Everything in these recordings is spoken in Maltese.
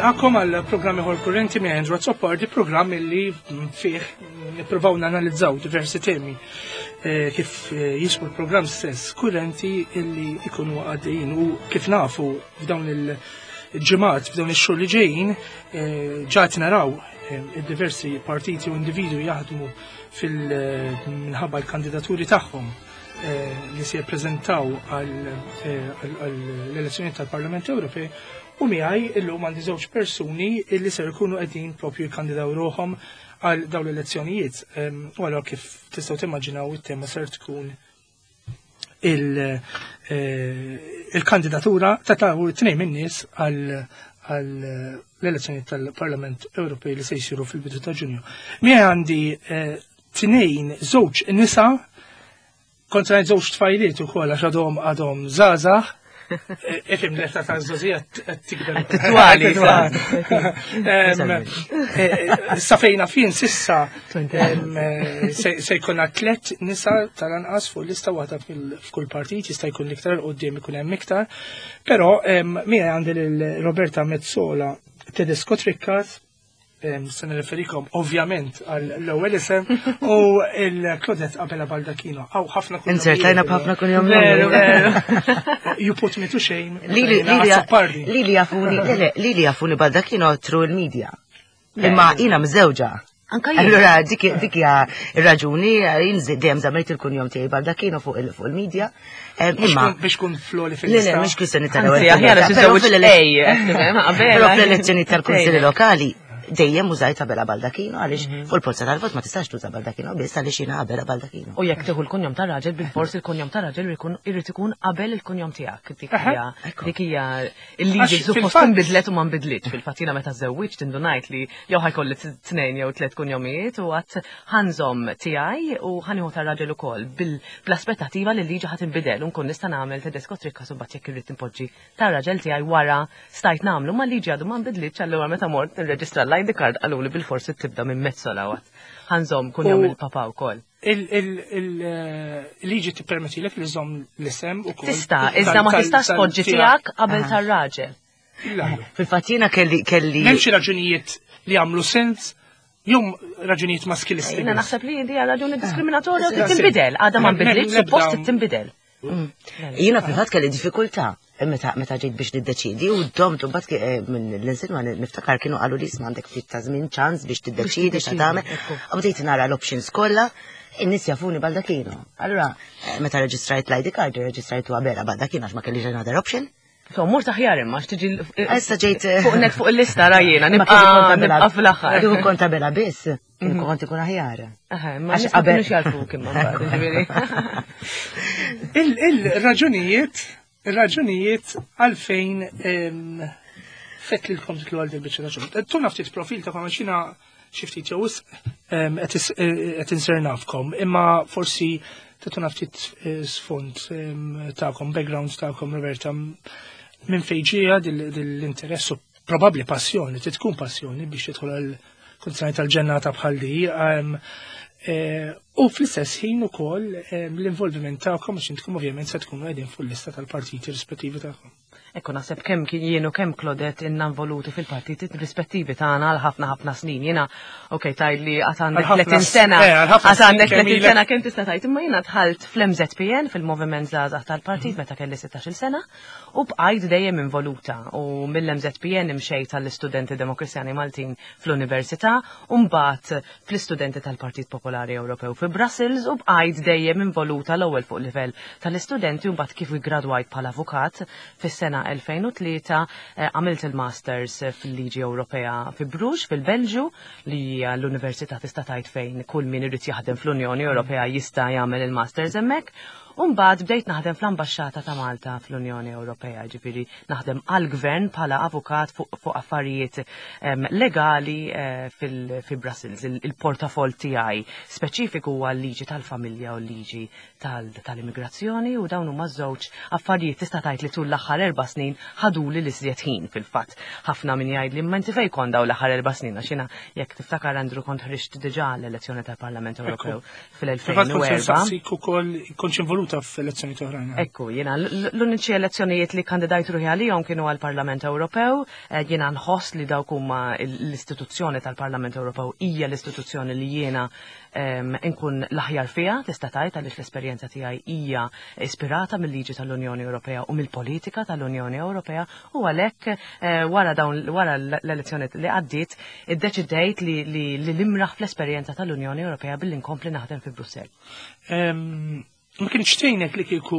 Nilqakom għal programm ieħor kurrenti minn Andrew Azzopardi, programm li fih nippruvaw nanalizzaw diversi temi eh, kif eh, jismu l-programm stess kurrenti illi ikunu għaddejjin u kif nafu f'dawn il-ġimgħat f'dawn ix-xhur li ġejjin eh, ġat naraw diversi partiti u individwi jaħdmu fil-minħabba l-kandidaturi tagħhom li se jippreżentaw għall-elezzjoni tal-Parlament Ewropej u miegħi illum għandi żewġ persuni li ser ikunu qegħdin propju jikkandidaw ruħhom għal dawn l-elezzjonijiet. U allura kif tistgħu timmaġinaw it-tema ser tkun il-kandidatura ta' ta' tnejn min-nies għal l-elezzjoni tal-Parlament Ewropej li se jsiru fil-bidu ta' Ġunju. Miegħi għandi tnejn żewġ nisa kontra żewġ tfajliet ukoll għax għadhom għadhom żgħażagħ. Ifim l-età ta' żgħożija qed tikber. Titwali. Sa fejna fin sissa se jkollna tliet nisa tal-anqas fuq lista waħda f'kull partit jista' jkun iktar qudiem ikun hemm iktar. Però miegħi għandi lil Roberta Mezzola Tedesco Triccat se nirreferikom ovvjament għall-ewwel isem u il-Claudette Abela Baldacchino. Aw ħafna kull. Inzertajna b'ħafna kull jom. You put me to shame. Lili jafuni, lili jafuni Baldacchino through il-media. Imma jina mżewġa. Anka jien. Allura dik dik hija r-raġuni jien dejjem żammejt il-kunjom tiegħi Baldacchino fuq il-media. Imma biex kun floli fil-lista. Le, le, mhux kwistjoni tal-ewwel. Aħjar Però fl-elezzjoni tal-kunsilli lokali dejjem użajt Abela Baldacchino għaliex fuq il-polza tal-vot ma tistax tuża Baldacchino biss għaliex jiena Abela Baldacchino. U jekk tieħu l-kunjom tar-raġel bil-fors il-kunjom tar-raġel irid ikun qabel il-kunjom tiegħek. Dik hija dik hija il-liġi suppost tinbidlet u ma nbidlitx. Fil-fatt jiena meta żewwiġt indunajt li jew ħajkolli tnejn jew tliet kunjomijiet u għad ħanżomm tiegħi u ħanieħu tar-raġel ukoll bl-aspettattiva li l-liġi ħa tinbidel u nkun nista' nagħmel Tedesco Tricca u mbagħad jekk irrid inpoġġi tar-raġel tiegħi wara stajt nagħmlu ma l-liġi għadu ma nbidlitx allura meta mort nirreġistra l-ID card qaluli bil-forsi tibda minn Mezzola għad ħanżomm kunjom il-papa wkoll. Il-liġi tippermettilek li żomm l-isem ukoll. Tista', iżda ma tistax tpoġġi tiegħek qabel tar-raġel. Fil-fatt jiena kelli kelli. M'hemmx raġunijiet li jagħmlu sens jew raġunijiet maskilisti. Jiena naħseb li hija raġuni diskriminatorja u tinbidel, għadha ma nbidlitx, suppost tinbidel. Jiena fil-fatt kelli diffikultà meta meta ġejt biex niddeċidi u domt u mbagħad eh, minn l-insinwa niftakar kienu qalu li isma' għandek ftit ta' żmien ċans biex tiddeċidi xa tagħmel. U bdejt nara l-options kollha, in-nies jafuni Baldacchino. Allura eh, meta reġistrajt l-ID card, reġistrajtu Abela Baldacchino għax ma kellix another option. So, mur taħjar imma, xtiġi. Issa ġejt. Eh, fuq net fuq il-lista rajjena, nibqa' nibqa' fl-aħħar. Kieku kont tabela biss, kieku mhm. kont ikun aħjar. Ma għax qabel jarfuk imma ġifieri. Il-raġunijiet, il-raġunijiet għalfejn fett lilkom titlu għal dil-biċċa ta' xogħol. Tuna ftit profil ta' għax jiena xi ftit jew wisq qed insir nafkom, imma forsi tatuna ftit eh, sfond tagħkom, background tagħkom Roberta, minn fejn ġejja dil-interess u probabbli passjoni, trid tkun passjoni biex tidħol għal kunzjoni tal-ġennata bħal di. Eh, u fl-istess ħin ukoll l-involviment tagħkom għax intkom ovvjament se tkunu qegħdin fuq l-lista tal-partiti rispettivi tagħkom. Ekku naħseb kemm kien jien u kemm Claudette inna involuti fil-partiti rispettivi tagħna għal ħafna ħafna snin. Jiena ok tgħid li għad għandek 30 sena. Eh, għad għandek 30 sena kemm tista' tgħid imma jiena dħalt fl-MZPN fil-Moviment Żgħażagħ tal-Partit mhm. meta kelli 16-il sena u bqajt dejjem involuta u mill-MZPN imxejt għall-istudenti Demokristjani Maltin fl-Università u mbagħad fl-istudenti tal-Partit Popolari Ewropew fi Brussels u bqajt dejjem involuta l-ewwel fuq livell tal-istudenti u mbagħad kif iggradwajt bħala avukat fis-sena 2003 eh, għamilt il-Masters fil-Liġi Ewropea fi Bruges fil-Belġju li hija l-università tista' tgħid fejn kull min irid jaħdem fl-Unjoni Ewropea jista' jagħmel il-Masters hemmhekk. U mbagħad bdejt naħdem fl-Ambaxxata ta' Malta fl-Unjoni Ewropea, ġifieri naħdem għall-gvern bħala avukat fuq affarijiet legali eh, fi Brussels. Il-portafol tiegħi speċifiku huwa l-liġi tal-familja u l-liġi tal-immigrazzjoni u dawn huma żewġ affarijiet tista' tgħid li tul l-aħħar erba' snin ħaduli l-iżjed ħin fil-fatt. Ħafna min jgħid li imma inti fejn kont dawn l-aħħar erba' snin għax jiena jekk tiftakar Andrew kont ħriġt diġà l-elezzjoni tal-Parlament Ewropew fil-2004. Fil-fatt kont ukoll kontx involut. involuta f'elezzjoni oħrajn. Ekku, jiena l-uniċi elezzjonijiet li kandidajt ruħi għalihom kienu għall-Parlament Ewropew, eh, jiena nħoss li dawk huma l-istituzzjoni tal-Parlament Ewropew hija l-istituzzjoni li jiena nkun l-aħjar fiha, tista' tgħid għaliex l-esperjenza tiegħi hija ispirata mill-liġi tal-Unjoni Ewropea u mill-politika tal-Unjoni Ewropea u għalhekk eh, wara dawn wara l-elezzjoni li għaddiet iddeċidejt li li l-imraħ fl-esperjenza tal-Unjoni Ewropea billi nkompli naħdem fi Brussell. Ma kienx tgħinek li kieku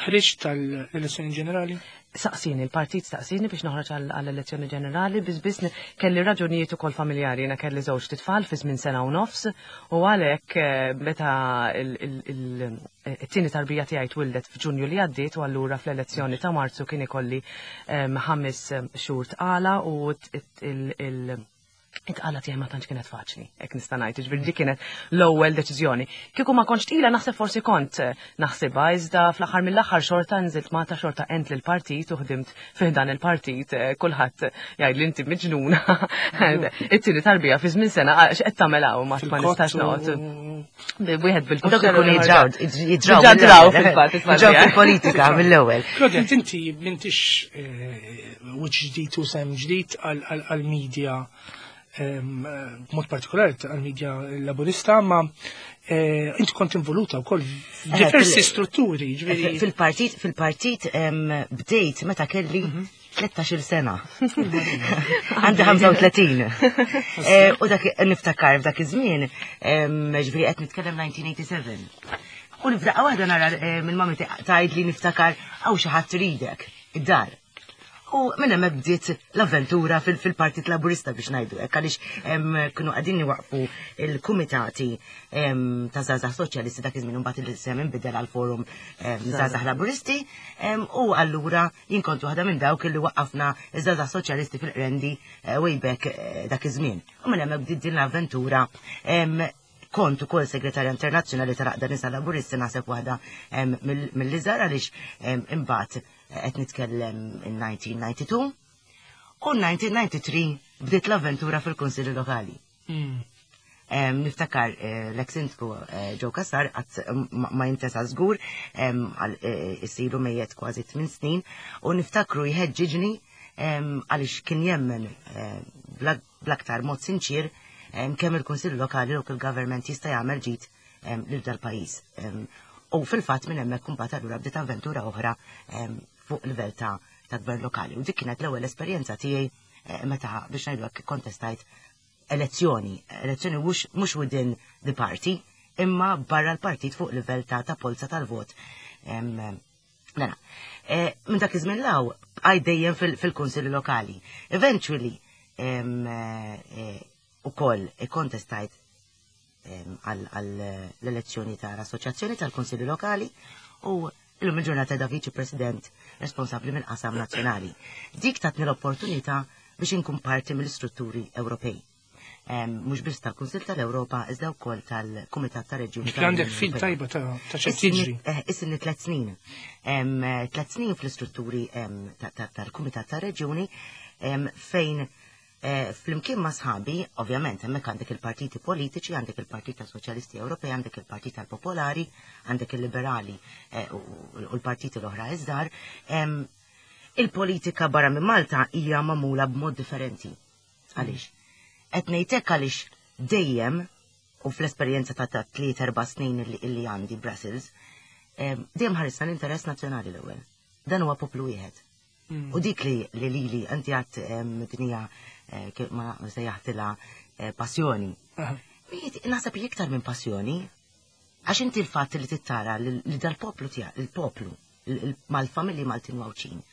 ħriġt tal-elezzjoni ġenerali? Saqsini, il-partit saqsini biex noħroġ għall-elezzjoni ġenerali, biss biss kelli raġunijiet ukoll familjari, jiena kelli żewġ titfal fi żmien sena u nofs, u għalhekk eh, meta it-tieni tarbija tiegħi twildet f'Ġunju li għaddiet u allura fl-elezzjoni ta' Marzu kien ikolli ehm, ħames xhur tqala u il it-tqala tiegħi ma tantx kienet faċli, hekk nista' ngħid, jiġifieri dik kienet l-ewwel deċiżjoni. Kieku ma kontx tqila naħseb forsi kont eh, naħsibha, iżda fl-aħħar mill-aħħar xorta nżilt Malta xorta għent lill-partit u ħdimt fih dan il-partit, eh, kulħadd jgħid li inti miġnuna. It-tieni tarbija fi żmien sena x'qed tagħmel hawn ma nistax noqgħod. Wieħed bil Dak ikun jidraw, jidraw. Jidraw fil-fatt, jidraw fil-politika mill-ewwel. Claudia, inti m'intix eh, wiċċ ġdid u sem ġdid għal-media b'mod partikolari għal-media laburista, ma eh, inti kont involuta wkoll f'diversi eh, strutturi. Fil-partit, fil-partit bdejt meta kelli 13 mhm. sena. Għandi 35. Eh, u dak niftakar f'dak iż-żmien, ġifieri qed nitkellem 1987. U nifdaqqa waħda nara minn mami tgħid li niftakar hawn xi ħadd ridek id-dar. U minn hemmhekk bdiet l-avventura fil-Partit Laburista biex ngħidu hekk għaliex kienu qegħdin iwaqfu il-kumitati ta' żgħażagħ soċjalisti dak iż-żmien imbagħad il-isem inbidel għal Forum Żgħażagħ Laburisti u allura jien kont waħda minn dawk li waqqafna iż-żgħażagħ soċjalisti fil-Qrendi eh, way back eh, dak iż-żmien. U minn hemmhekk bdiet din l-avventura kont ukoll segretarja internazzjonali tal-Għaqda Nisa Laburisti naħseb waħda mill-iżgħar għaliex imbagħad qed nitkellem in 1992 u 1993 bdiet l-avventura fil-Kunsilli Lokali. Hmm. Niftakar eh, l-ex-sindku eh, Joe Cassar qatt ma jintesa żgur eh, isiru mejjet kważi 8 snin u niftakru jħeġġiġni għaliex kien jemmen bl-aktar mod sinċir kemm il-Kunsill Lokali local government jista' jagħmel ġid lil dal-pajjiż. U fil-fatt minn hemmhekk imbagħad allura bdiet avventura oħra fuq livell ta' ta' gvern lokali. U dik kienet l-ewwel esperjenza tiegħi eh, meta biex ngħidu hekk kontestajt elezzjoni, elezzjoni mhux within the party, imma barra l-partit fuq livell ta' ta' polza tal-vot. Mela, eh, minn dak iż-żmien law bqajt dejjem fil-kunsilli lokali. Eventually, eh, ukoll ikkontestajt għall-elezzjoni tal-Assoċjazzjoni tal-Kunsilli Lokali u illum il-ġurnata da Viċi President responsabbli mill-qasam nazzjonali. Dik tatni l-opportunità biex inkun parti mill-istrutturi Ewropej. Mhux biss tal-Kunsill tal-Ewropa iżda wkoll tal-Kumitat ta' Reġjuni. Għandek fil tajba ta' xi tiġri. Eh, Issinni tliet snin. Tliet snin fl-istrutturi tal-Kumitat ta' Reġjuni fejn Eh, flimkien ma' sħabi, ovvjament, hemmhekk għandek il-partiti politiċi, għandek il-Partit ta' Soċjalisti Ewropej, għandek il-Partit tal-Popolari, għandek il-Liberali eh, u l-partiti l-oħra iżdar. Il-politika barra minn Malta hija magħmula b'mod differenti. Għaliex? Qed ngħidlek għaliex dejjem u fl-esperjenza ta' tliet erba' snin li għandi Brussels, dejjem ħarisna l-interess nazzjonali l-ewwel. Dan huwa poplu wieħed. U dik li li li inti għat dinija eh, kif ma sejjaħtilha eh, passjoni. Naħseb li iktar minn passjoni, għax inti l-fatt li tittara li dal-poplu tiegħek, il-poplu, mal-familji Maltin u Għawdxin,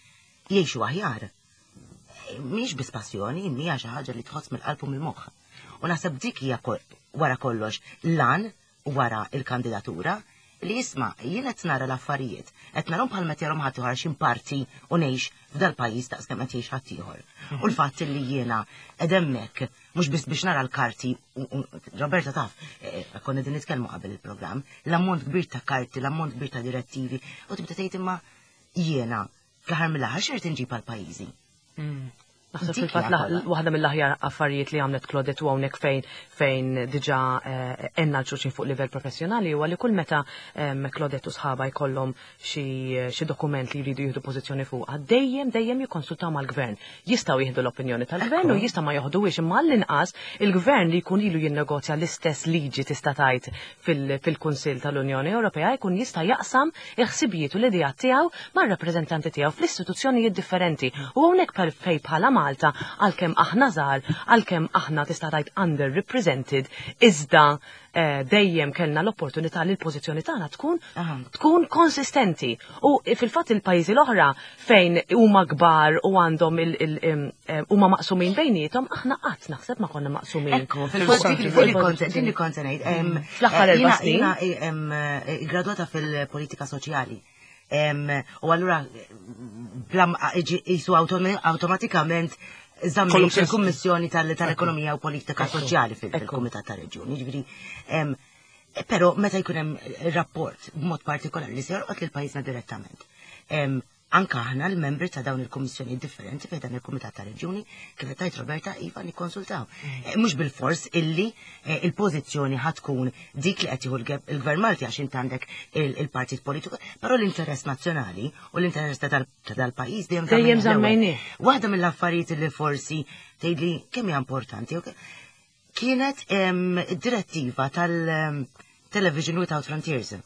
jgħixu aħjar. Eh, mhix biss passjoni, hija xi ħaġa li tħoss mill-qalb u mill-moħħ. U naħseb dik hija wara kollox lan wara il-kandidatura li jisma' jien qed nara l-affarijiet, qed narhom bħal meta jarhom ħadd ieħor xi parti u ngħix f'dal-pajjiż daqs kemm qed jgħix ħadd ieħor. U l-fatt li jiena qed hemmhekk mhux biss biex nara l-karti, Roberta taf, eh, konna din nitkellmu qabel il-programm, l-ammont kbir ta' karti, l-ammont kbir ta' direttivi, u tibda tgħid imma jiena fl-aħħar mill-aħħar x'irid inġib għal pajjiżi. Naħseb fil-fatt waħda mill-aħjar affarijiet li għamlet Claudette u hawnhekk fejn fejn diġà eh, għenna l-xulxin fuq livell professjonali huwa li kull meta Claudette u sħaba jkollhom xi dokument li jridu jieħdu pożizzjoni fuqha, dejjem dejjem jikkonsultaw mal-gvern. Jistgħu jieħdu l-opinjoni tal-gvern u jista' ma joħduhiex imma għall-inqas il-gvern li jkun ilu jinnegozja l-istess liġi tista' tgħid fil-Kunsill tal-Unjoni Ewropea jkun jista' jaqsam il-ħsibijiet u l-ideat tiegħu mar-rappreżentanti tiegħu fl-istituzzjonijiet differenti. U hawnhekk fejn bħala Malta, għalkemm aħna żgħar, għalkemm aħna tista' tgħid underrepresented, iżda eh, dejjem kellna l-opportunità li l-pożizzjoni tagħna tkun tkun konsistenti. U fil-fatt il-pajjiżi l-oħra fejn huma kbar u għandhom eh, huma maqsumin bejniethom, aħna qatt naħseb ma konna maqsumin. Ekku, fil-fatt din li kont ngħid. Fl-aħħar eh, erba' snin. Jiena gradwata fil-politika soċjali. U allura jisu automatikament żammejt il-Kummissjoni tal-Ekonomija u Politika Soċjali fil-Kumitat ta' Reġjuni. Ġifieri, però meta jkun hemm rapport b'mod partikolari li se jolqot lil pajjiżna direttament. Anka aħna l-membri ta' dawn il-kummissjoni differenti fejn dan il-Kumitat ta' Reġjuni, kif qed tgħid Roberta, iva nikkonsultaw. Mhux bil-fors illi il-pożizzjoni ħa tkun dik li qed jieħu il-Gvern Malti għax int għandek il-partit politiku, però l-interess nazzjonali u l-interess ta' dal-pajjiż dejjem Dejjem żammejnieh. Waħda mill-affarijiet li forsi tgħidli kemm hija importanti, ok? Kienet id-direttiva tal-Television Without Frontiers,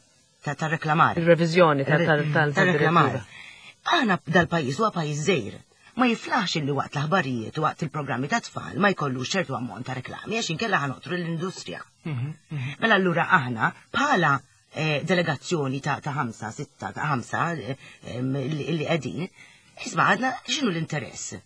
ta' reklamar. Il-reviżjoni tal-reklamar. Aħna dal-pajjiż huwa pajjiż żgħir. Ma jiflaħx illi waqt l-aħbarijiet u waqt il-programmi ta' tfal ma jkollu ċertu ammont ta' reklami għax inkella ħa noqtlu l-industrija. Mela allura aħna bħala delegazzjoni ta' ħamsa, sitta, ta' ħamsa li qegħdin, isma' għadna x'inhu l-interess?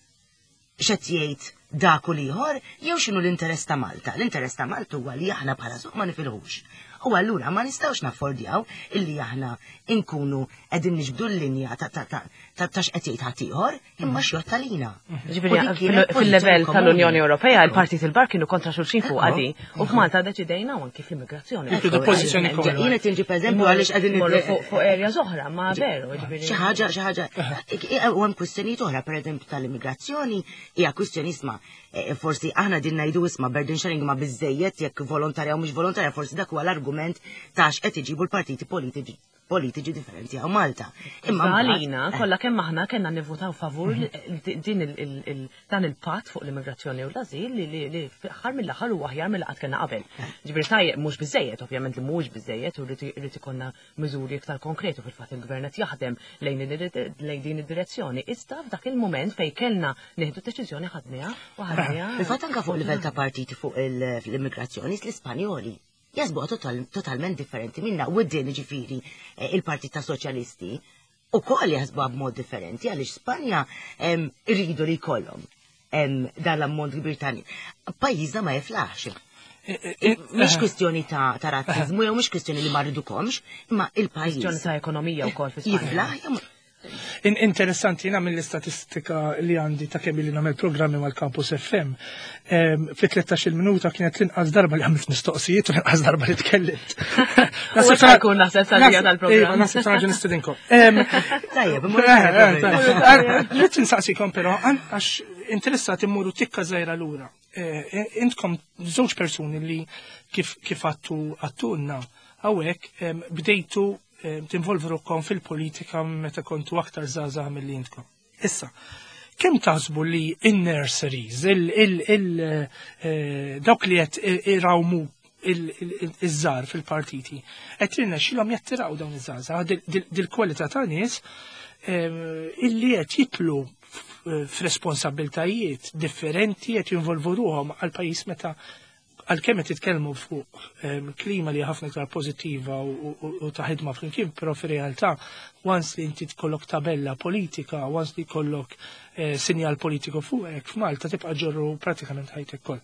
X'qed jgħid dak u l-ieħor jew x'inhu l-interess ta' Malta? L-interess ta' Malta huwa li aħna bħala suq ma nifilħux. U allura ma nistgħux naffordjaw illi aħna inkunu qegħdin niġbdu l-linja ta' x'qed jgħid ħaddieħor imma x'jgħodd għalina. Ġifieri fil-level tal-Unjoni Ewropea il-partit il-bar kienu kontra xulxin fuq għadi u f'Malta deċidejna u anki fl-immigrazzjoni. Pożizzjoni komuni. Jiena tinġi pereżempju għaliex qegħdin fuq area oħra, ma veru, ġifieri. Xi ħaġa, xi ħaġa. U hemm kwistjonijiet oħra, pereżempju tal-immigrazzjoni, hija kwistjoni isma' forsi aħna din ngħidu isma' burden sharing ma biżejjed jekk volontarja u mhux volontarja, forsi dak huwa l-argument ta' x'qed iġibu l-partiti politiċi differenti hawn Malta. Imma għalina, kollha kemm aħna kellna nivvutaw favur din dan il-patt fuq l-immigrazzjoni u l-azil li aħħar mill-aħħar huwa aħjar mill qatt kellna qabel. Ġifieri tajjeb mhux biżejjed, ovvjament li mhux biżejjed u rrid ikollna miżuri iktar konkreti fil-fatt il-gvern qed jaħdem lejn din id-direzzjoni. Iżda f'dak il-mument fejn kellna nieħdu deċiżjoni ħadniha u ħadniha. Fil-fatt anke fuq livell ta' partiti fuq l-immigrazzjoni l-Ispanjoli jaħsbuha totalment differenti minna u d-din ġifieri il-Partit ta' Soċjalisti u koll jaħsbuha b'mod differenti għaliex Spanja irridu li jkollhom dan l-ammont kbir ta' nies. Pajjiżna ma jiflaħx. Mhix kwistjoni ta' razzizmu jew mhix kwistjoni li ma rridukomx, imma il-pajjiż. Kwistjoni ta' ekonomija wkoll fi Spanja. Jiflaħ jew Interessanti, jina mill-istatistika li għandi ta' kemm li nagħmel programmi mal-Campus FM, fi 13 minuta kienet l-inqas darba li għamilt mistoqsijiet u l-inqas darba li tkellimt. U issa jkun naħseb sadija tal-programm. Naħseb sa' nistedinkom. Tajjeb, Rrid insaqsikom però għax interessati mmuru tikka żgħira lura. Intkom żewġ persuni li kif għattu għattunna hawnhekk bdejtu tinvolvu ruħkom fil-politika meta kontu aktar żgħażagħ milli intkom. Issa, kemm taħsbu li in-nurseries, dawk li qed irawmu iż-żgħar fil-partiti, qed jirnexxilhom jattiraw dawn iż-żgħażagħ dil-kwalità ta' nies illi qed jitlu f'responsabiltajiet differenti qed jinvolvu ruħhom għal pajjiż meta għalkemm qed titkellmu fuq klima li ħafna iktar pożittiva u ta' ħidma flimkien, però fir-realtà once li inti tkollok tabella politika, once li jkollok sinjal politiku fuqek f'Malta tibqa' ġorru pratikament ħajtek kollha.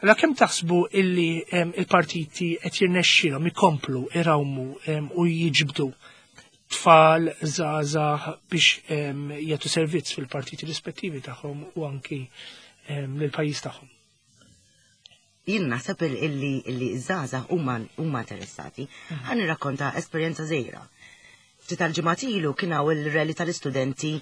Allora kemm taħsbu illi il-partiti qed jirnexxilhom ikomplu irawmu u jiġbdu tfal, żgħażagħ biex jagħtu servizz fil-partiti rispettivi tagħhom u anki lill-pajjiż tagħhom? Jien naħseb illi żgħażagħ huma interessati. Ħa nirrakkonta esperjenza żgħira. Ftit tal-ġimgħat ilu kien hawn il-rally tal-istudenti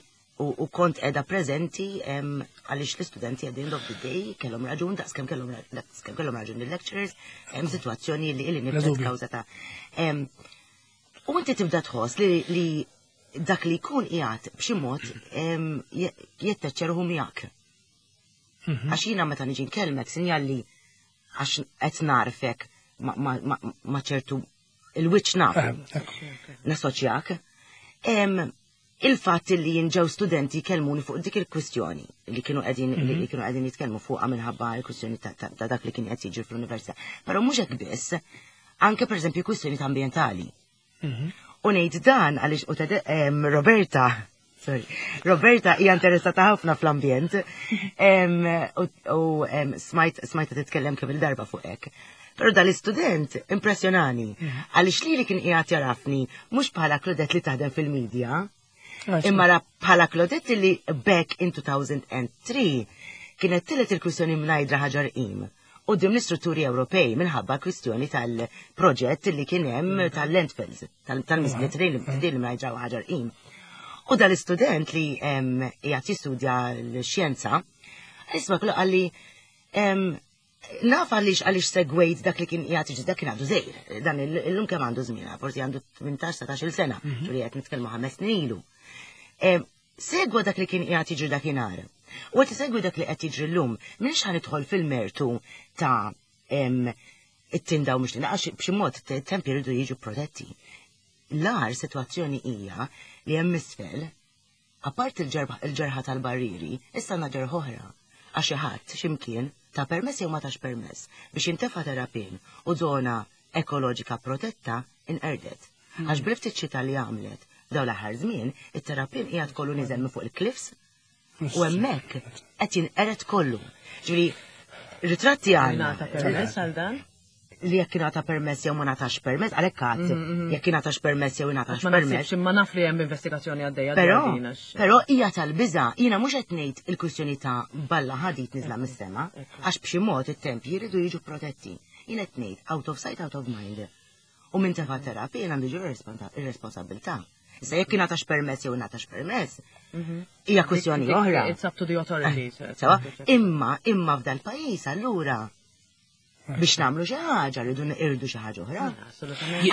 U kont qiegħda preżenti għaliex l-istudenti at the end of the day kellhom raġun daqskemm kellhom daqskemm kellhom raġun il-lecturers, hemm sitwazzjoni li li nibdet kawża ta' U inti tibda tħoss li dak li jkun qiegħed b'xi mod jetteċċerħu miegħek. Għax jiena meta niġi nkellmek sinjal li għax qed narfek ma' ċertu il-wiċċ nafu. Nassoċjak. Il-fatt li jinġew studenti jkellmuni fuq dik il-kwistjoni li kienu qegħdin li mhm. kienu qegħdin jitkellmu fuqha minħabba l-kwistjoni ta' dak li kien qed jiġri fl-università. Però mhux hekk biss, anke pereżempju kwistjoni ambjentali. Mhm. U ngħid dan għaliex u Roberta Sorry. Roberta hija interessata ħafna fl-ambjent u smajt smajta titkellem kemm il-darba fuq hekk. Però dal-istudent impressjonani mhm. għaliex li li kien qiegħed jarafni mhux bħala Claudette li taħdem fil-medja, imma bħala Claudette li back in 2003 kienet tillet il-kwistjoni mnajdra ħaġar qim quddiem l-istrutturi Ewropej minħabba kwistjoni tal-proġett li kien hemm mm. tal-landfills, tal-miżbliet li mnajġa ħaġar qim. U dal-istudent li qiegħed jistudja l-xjenza, isma' kollu qalli naf għaliex għaliex segwejt dak li kien qiegħed jiġi dak kien għandu żejr, dan illum kemm għandu żmien, forsi għandu 18-19 sena, mhm. ġuri qed nitkellmu ħames snin ilu. Segwa dak li kien qiegħed jiġri dakinhar. U qed isegwi dak li qed jiġri llum. M'iniex ħa nidħol fil-mertu ta' it-tinda u mhux tinda għax b'xi mod it-tempji jridu jiġu protetti. L-agħar sitwazzjoni hija li hemm isfel, apart il-ġerħa tal-barrieri, issa għandna ġerħa oħra. Għax xi ħadd x'imkien ta permess jew ma tax permess biex jintefa' terrapien u żona ekoloġika protetta inqerdet. Għax bil-ftit xita li għamlet f'dawn l-aħħar żmien, it-terrapien qiegħed kollu niżel minn fuq il-cliffs u hemmhekk qed jinqered kollu. Ġifieri ritratti għandna. Ngħata permess għal dan? Li jekk ingħata permess jew ma ngħatax permess, għalhekk għad mm, mm, mm. jekk ingħatax permess jew ingħatax permess. Imma naf li hemm investigazzjoni għaddejja. Però, però hija tal-biża, jiena mhux qed ngħid il-kwistjoni ta' balla ħadid niżla mis-sema, għax b'xi mod it-tempji jridu jiġu protetti. Jien qed ngħid out of sight, out of mind. U minn tefa' terapija għandu ġi ir-responsabilità. Issa jekk ingħatax permess jew ingħatax permess, mhm. hija kwistjoni oħra. It's up to the authorities. Eh, sewa, imma imma f'dal pajjiż allura biex nagħmlu xi ħaġa rridu nqirdu xi ħaġa oħra. Assolutament.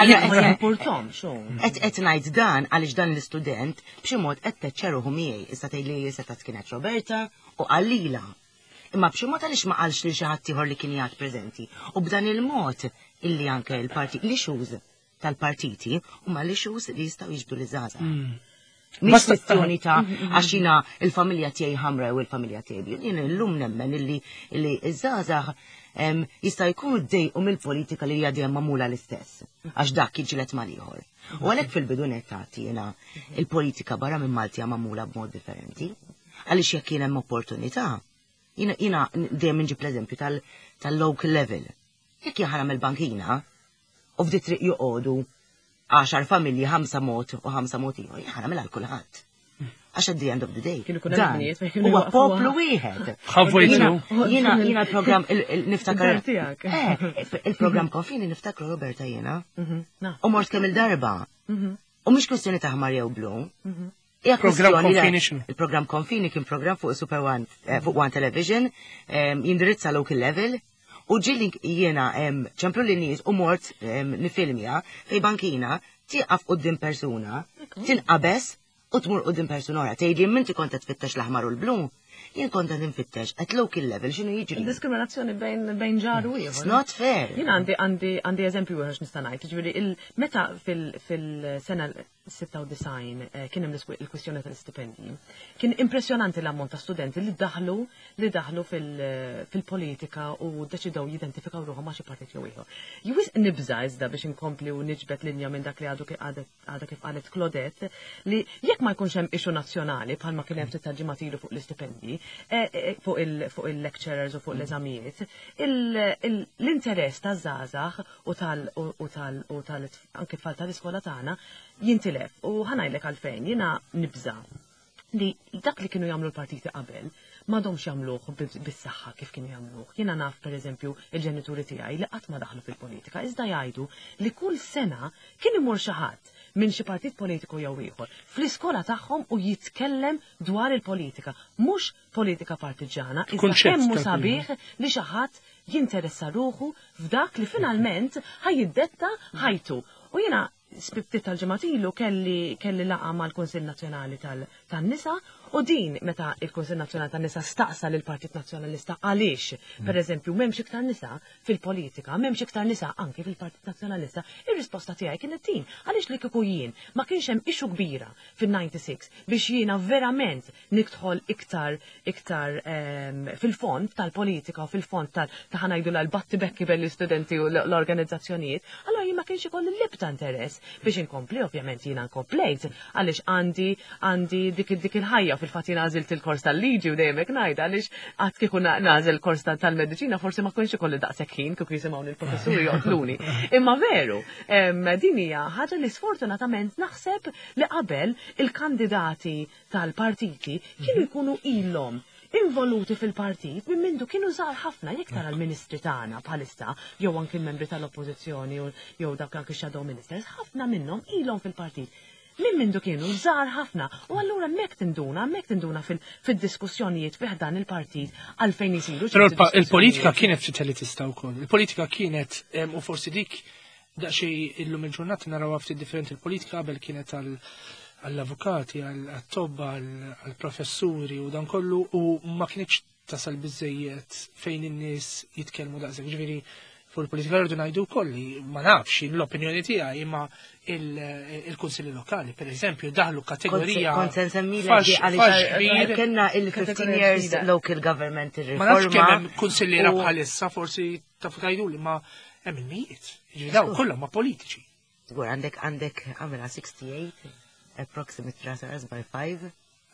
Qed qed ngħid dan għaliex dan l-istudent b'xi mod qed teċċeruħu miegħi. Issa tgħidli seta' kienet Roberta u qalila. Imma b'xi mod għaliex ma qalx lil xi ħadd ieħor li kien qiegħed preżenti. U b'dan il-mod illi anke l-parti l-issues tal-partiti huma l-issues li jistgħu jiġbdu liż-żgħażagħ. Mm. Mhix kwestjoni ta' għax jiena il-familja tiegħi ħamra jew il-familja tiegħi. Jien illum nemmen illi illi ż-żgħażagħ jista' jkunu ddejqu mill-politika li hija dejjem magħmula l-istess għax dak jiġilet mal-ieħor. U għalhekk fil-bidu nett jiena il-politika barra minn Malti hija magħmula b'mod differenti. Għaliex jekk kien hemm opportunità, jiena jiena dejjem inġib l-eżempju tal-local level. Jekk jien ħa il-bankina u f'di triq joqogħdu għaxar familji ħamsa mod u ħamsa mod ieħor, jien ħa nagħmilha għal kulħadd. Għax at the end of the day. Huwa poplu wieħed. Jiena jiena l-programm niftakar. Eh, il-programm konfini niftakru Roberta jiena. Mhm, u mort kemm il-darba. Mhm. U mhix kwestjoni ta' ħmar jew blu. Mhm. Hija Programm Konfini x'inhu? Il-programm Konfini kien programm fuq Super One, eh, fuq One Television, jindirizza local level. U ġilli jiena ċemplu li nies u mort nifilmja fej bankina tieqaf quddiem persuna, tinqabeż u tmur quddiem persuna oħra. Tgħidli minti kont qed tfittex l-aħmar u l-blu, jien kont qed infittex at local level x'inhu jiġri. Diskriminazzjoni bejn bejn ġar u ieħor. It's not fair. Jien għandi għandi għandi eżempju ieħor x'nista' ngħid, jiġifieri meta fil-sena 96 eh, kien hemm il-kwistjoni tal-istipendji. Kien impressjonanti l-ammont ta' studenti li daħlu li daħlu fil-politika u deċidew jidentifikaw ruħhom ma' xi partit jew ieħor. Jwis nibża iżda biex inkompli u niġbed linja minn dak li għadu għadha kif qalet Claudette li jekk ma jkunx hemm issue nazzjonali bħalma kien hemm ftit tal-ġimgħat ilu fuq l-istipendji, eh, eh, fuq il-lecturers u fuq l-eżamijiet, l-interess taż-żgħażagħ u tal u tal u tal anke tfal tal-iskola tagħna jintilef u ħanajlek għalfejn jiena nibża li dak li kienu jagħmlu l-partiti qabel. M'għadhomx jagħmluh bis-saħħa kif kienu jagħmluh. Jiena naf pereżempju il-ġenituri tiegħi li qatt ma daħlu fil-politika, iżda jgħidu li kull sena kien imur xi ħadd minn xi partit politiku jew ieħor fl-iskola tagħhom u jitkellem dwar il-politika, mhux politika partiġġana, iżda kemm hu sabiħ li xi ħadd jinteressa ruħu f'dak li finalment ħa jiddetta ħajtu. U jiena ftit tal-ġimgħat ilu kelli kelli laqgħa mal-Kunsill Nazzjonali tan-Nisa u din meta il-Kunsill Nazzjonali tan-Nisa staqsa lill-Partit Nazzjonalista għaliex, pereżempju, m'hemmx iktar nisa fil-politika, m'hemmx iktar nisa anki fil-Partit Nazzjonalista, ir-risposta tiegħi kienet din, għaliex li kieku jien ma kienx hemm issue kbira fin-96 biex jiena verament nidħol iktar iktar fil-fond tal-politika u fil-fond tal ta' ħa ngħidu l-battibekki bejn l-istudenti u l-organizzazzjonijiet, allura jien ma kienx ikolli l-ebda interess biex inkompli, ovvjament jiena nkomplejt għaliex għandi għandi dik dik il-ħajja fil-fatt jiena għażilt il-kors tal-liġi u dejjem hekk ngħid għaliex qatt kieku nagħżel kors tal-mediċina forsi ma kienx ikolli daqshekk ħin kieku jisimgħuni l-professuri joqtluni. Imma veru, din hija ħaġa li sfortunatament naħseb li qabel il-kandidati tal-partiti kienu jkunu ilhom involuti fil-partit minn mindu kienu żgħar ħafna jekk tara l-ministri tagħna bħalissa jew anki l-membri tal-oppożizzjoni jew dak anki shadow ministers, ħafna minnhom ilhom fil-partit minn mindu kienu żgħar ħafna u allura hemmhekk tinduna, hemmhekk tinduna fid-diskussjonijiet fih dan il-partit għalfejn isiru. Però il-politika kienet ftit elitista wkoll. Il-politika kienet u forsi dik daqsxejn illum il-ġurnata naraw ftit differenti il-politika qabel kienet għall-avukati, għall-tobba, għall-professuri u dan kollu u ma kienx tasal biżejjed fejn in-nies jitkellmu daqshekk. Ġifieri fuq il-politika rridu ngħidu wkoll li ma nafx l-opinjoni tiegħi imma il-kunsilli lokali, per eżempju, daħlu kategorija. Kont se nsemmilek għaliex kellna il-15 years local government Ma nafx kemm hemm kunsilliera bħalissa forsi tafu tgħiduli ma hemm il-mijiet. Ġifieri dawn kollha ma politiċi. Żgur għandek għandek għamela 68 approximate rather by 5.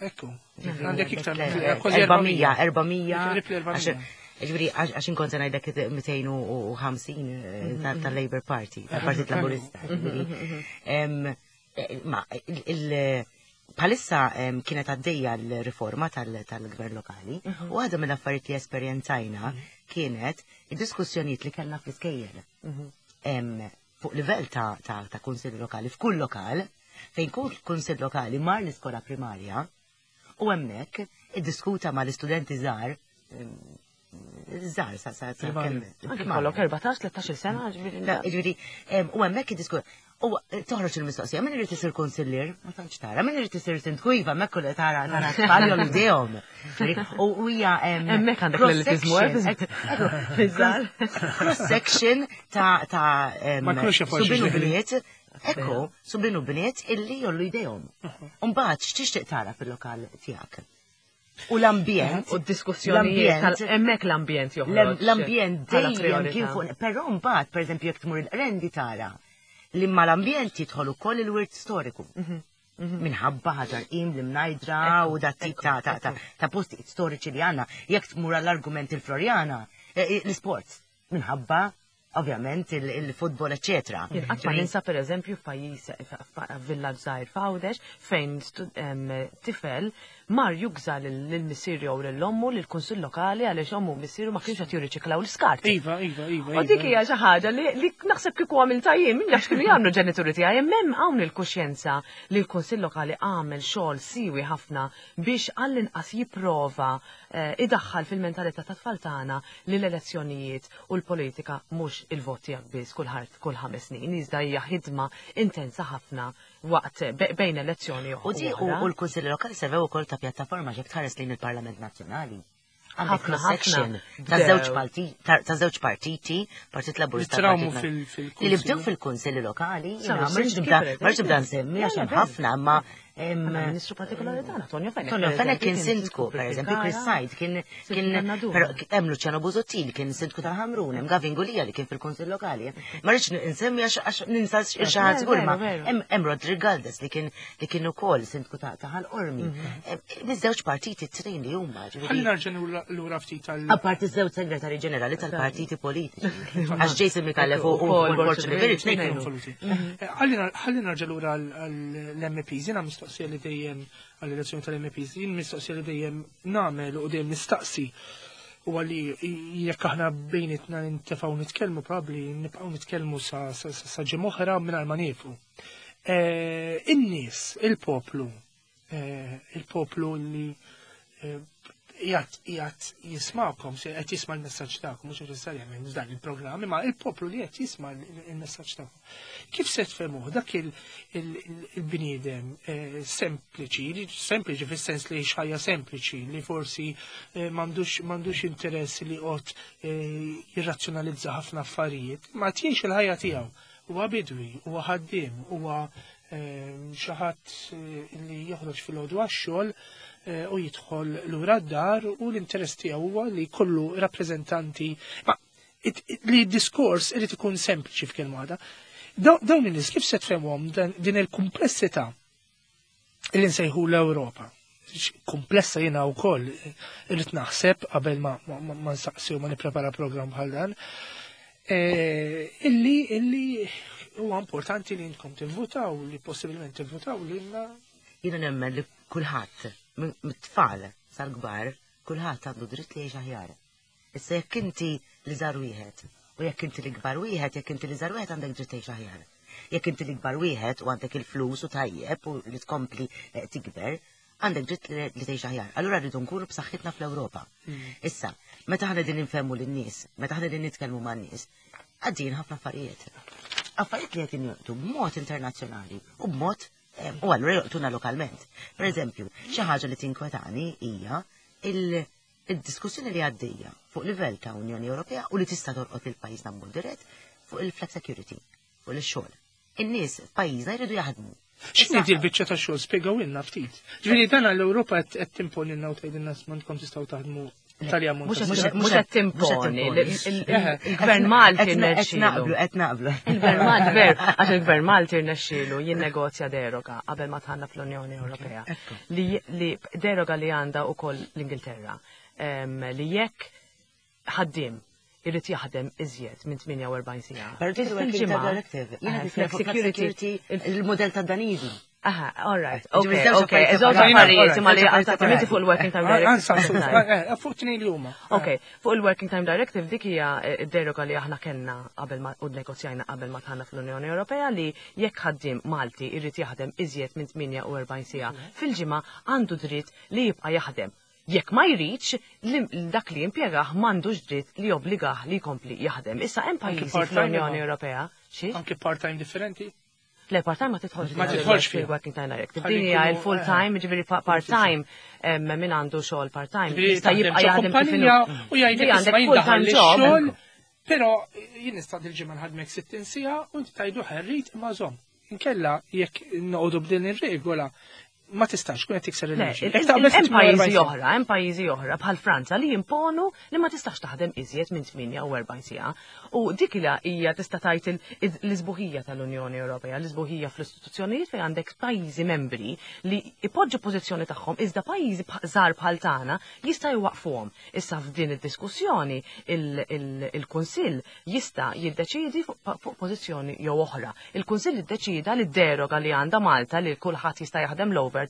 Ekku, għandek iktar kważi 400, 400. Ġifieri, għax inkont se ngħidlek 250 tal-Labour Party, tal-Partit Laburista. Ma, bħalissa kienet għaddejja l-riforma tal-gvern lokali u għadha mill-affarijiet li esperjenzajna kienet id-diskussjonijiet li kellna fl-iskejjel. Fuq livell ta' kunsill lokali, f'kull lokal, fejn kull kunsill lokali mar l-iskola primarja u hemmhekk iddiskuta mal-istudenti żgħar żgħar sa kemm. Anke kollok 14-13 sena, ġifieri. U hemmhekk iddiskuta. U toħroġ il-mistoqsija, min irid isir kunsillier? Ma tantx tara, min irid isir sindku iva, hemmhekk kull tara tara tfal jollu idejhom. U hija hemmhekk għandek l-elitizmu cross section ta' Ma jkunux jafu subien u bniet, ekku, subien u bniet illi jollu idejhom. Mbagħad x'tixtieq tara fil-lokal tiegħek? U l-ambjent. U d-diskussjonijiet. Hemmhekk l-ambjent joħroġ. L-ambjent dejjem kien fuq. Però mbagħad, pereżempju, jekk tmur il-Qrendi tara li mal-ambjent jidħol ukoll il-wirt storiku. Minħabba Ħaġar Qim, l-Imnajdra u dat tip ta' postijiet storiċi li għandna. Jekk tmur għall-argument il-Floriana, l-isports, minħabba ovvjament il-futbol, eccetera. Jien qatt ma ninsa pereżempju f'pajjiż villaġġ żgħir f'Għawdex fejn tifel mar jugża lil missieru jew lil ommu lill-kunsill lokali għaliex ommu u missieru ma kienux qed jirriċiklaw l-iskart. Iva, iva, iva. U dik hija xi ħaġa li naħseb kieku għamiltha jien, min jaf x'kienu jagħmlu l-ġenituri tiegħi, imma hemm hawn il-kuxjenza li l-kunsill lokali għamel xogħol siewi ħafna biex għall-inqas jipprova idaħħal fil-mentalità tat-tfal tagħna li l-elezzjonijiet u l-politika mhux il-vot tiegħek biss kull kull 5 snin, iżda hija ħidma intensa ħafna waqt bejn elezzjoni u U l-Kunsilli Lokali servew ukoll ta' pjattaforma jekk tħares lejn il-Parlament Nazzjonali. Għandek cross-section ta' żewġ partiti, Partit Laburista. Li bdew fil-Kunsilli Lokali, ma rridx nibda nsemmi għax hemm ħafna, imma Ministru partikolari tagħna, Tonio Fenech. Tonio Fenech kien sindku, per eżempju, Chris Said kien kien però hemm Luciano Busuttil kien sindku tal-Ħamrun, hemm Gavin Gulia li kien fil-Kunsill Lokali. Ma rridx insemmi għax ninsa xi ħadd żgur ma hemm Roderick Galdes li kien li kien ukoll sindku ta' Ħal Qormi. Miż-żewġ partiti t-tnejn li huma. Ħalli nerġa' lura ftit tal. Apparti żewġ segretari ġenerali tal-partiti politiċi. Għax Jason Micallef u Paul Borg Olivier tnejn kienu. Ħalli nerġa' lura l-MPs, jiena mistoqsija li dejjem għall-elezzjoni tal-MPs, jien mistoqsija li dejjem nagħmel u dejjem nistaqsi u għalli jekk aħna bejnietna nintefgħu nitkellmu probabbli nibqgħu nitkellmu sa ġimgħa oħra mingħajr ma niefu. Eh, in-nies, il-poplu, eh, il-poplu li eh, jgħat jismakom, se qed jisma' l-messaġġ tagħkom, mhux neċessarjament dan il-programm, imma il-poplu li qed jisma' l-messaġġ tagħkom. Kif se tfehmuh dak il-bniedem eh, sempliċi, sempliċi fis-sens li xajja sempliċi, li forsi eh, m'għandux interess li qod eh, jirrazzjonalizza ħafna affarijiet, ma tjiex il-ħajja tiegħu. Huwa bidwi, huwa ħaddiem, huwa xi ħadd li joħroġ fil-ħodu għax-xogħol u jidħol lura d-dar u l-interess tiegħu huwa li jkollu rappreżentanti ma li d-diskors irid ikun sempliċi f'kelma waħda. Dawn in-nies kif se tfehmhom din il-kumplessità li nsejħu l-Ewropa? Komplessa jiena wkoll irrid naħseb qabel ma nsaqsi u ma nipprepara programm bħal dan. E, illi illi huwa importanti li intkom tivvutaw, li possibilment tivvutaw lilna. Jiena nemmen li kulħadd, mit-tfal sal-kbar, kulħadd għandu dritt li jgħix aħjar. Issa jekk inti l-iżgħar wieħed u jekk inti l-ikbar wieħed, jekk inti l-iżgħar wieħed għandek dritt tgħix aħjar. Jekk inti l-ikbar wieħed u għandek il-flus u tajjeb u li tkompli eh, tikber, għandek dritt li tgħix aħjar. Allura rridu nkunu b'saħħitna fl-Ewropa. Mm. Issa, meta ħana din infemmu lin-nies, meta ħana din nitkellmu man-nies, għaddin ħafna affarijiet. Affarijiet li qed jolqtu b'mod internazzjonali u b'mod eh, u allura jolqtuna lokalment. Per eżempju, xi ħaġa li tinkwetani hija il- id-diskussjoni li għaddejja fuq livell ta' Unjoni Ewropea u li tista' tolqot lil pajjiżna b'mod dirett fuq il-flex security, fuq il-xogħol. In-nies f'pajjiżna jridu jaħdmu. X'inhi di l-biċċa ta' xogħol spjegawilna ftit. Ġifieri dan l-Ewropa qed timponilna u tgħidilna m'għandkom tistgħu taħdmu tali ammont. Mhux qed timponi, il-Gvern Malti Qed naqblu, qed naqblu. Il-Gvern Malti, ver, għax il-Gvern Malti rnexxielu jinnegozja deroga qabel ma tħanna fl-Unjoni Ewropea. Li deroga li għandha wkoll l-Ingilterra li jekk ħaddiem irid jaħdem iżjed minn 48 siegħa. Fil-ġimgħa. Security, il-modell ta' Daniżi. Aha, all right. Ok, ok. Żewġ affarijiet imma li għal fuq il-Working Time Directive. Eh, eh, fuq tnejn li huma. Ok, fuq il-Working Time Directive dik hija eh, deroga li aħna kellna qabel ma u negozjajna qabel ma tħanna fl-Unjoni Ewropea li jekk ħaddiem Malti jrid jaħdem iżjed minn 48 siegħa fil-ġimgħa għandu dritt li jibqa' jaħdem. Jekk ma jridx, dak li jimpjegah m'għandux dritt li jobbligah li jkompli jaħdem. Issa hemm pajjiżi fl-Unjoni Ewropea. Anke part-time differenti? Le, part-time ma tidħolx. Ma tidħolx fil-working time directive. Din hija il-full eh. time, ġifieri part-time min għandu xogħol part-time. Jista' jibqa' jaħdem kif u jgħidlek għandek full-time job. Però jien nista' dil-ġimgħa nħadmek 60 siegħa u inti tajdu ħerrit imma żomm. Inkella jekk noqogħdu b'din ir-regola ma tistax kun qed tikser il-liġi. Hemm pajjiżi oħra, hemm pajjiżi oħra bħal Franza li jimponu li ma tistax taħdem iżjed minn 48 siegħa. U dik hija tista' tgħid l-isbuħija tal-Unjoni Ewropea, l-isbuħija fl-istituzzjonijiet fejn għandek pajjiżi membri li ipoġġu pożizzjoni tagħhom iżda pajjiżi żgħar bħal tagħna jista' jwaqfuhom. Issa f'din id-diskussjoni il-Kunsill jista' jiddeċiedi fuq pożizzjoni jew oħra. Il-Kunsill iddeċieda li d-deroga li għandha Malta li kulħadd jista' jaħdem l-overtime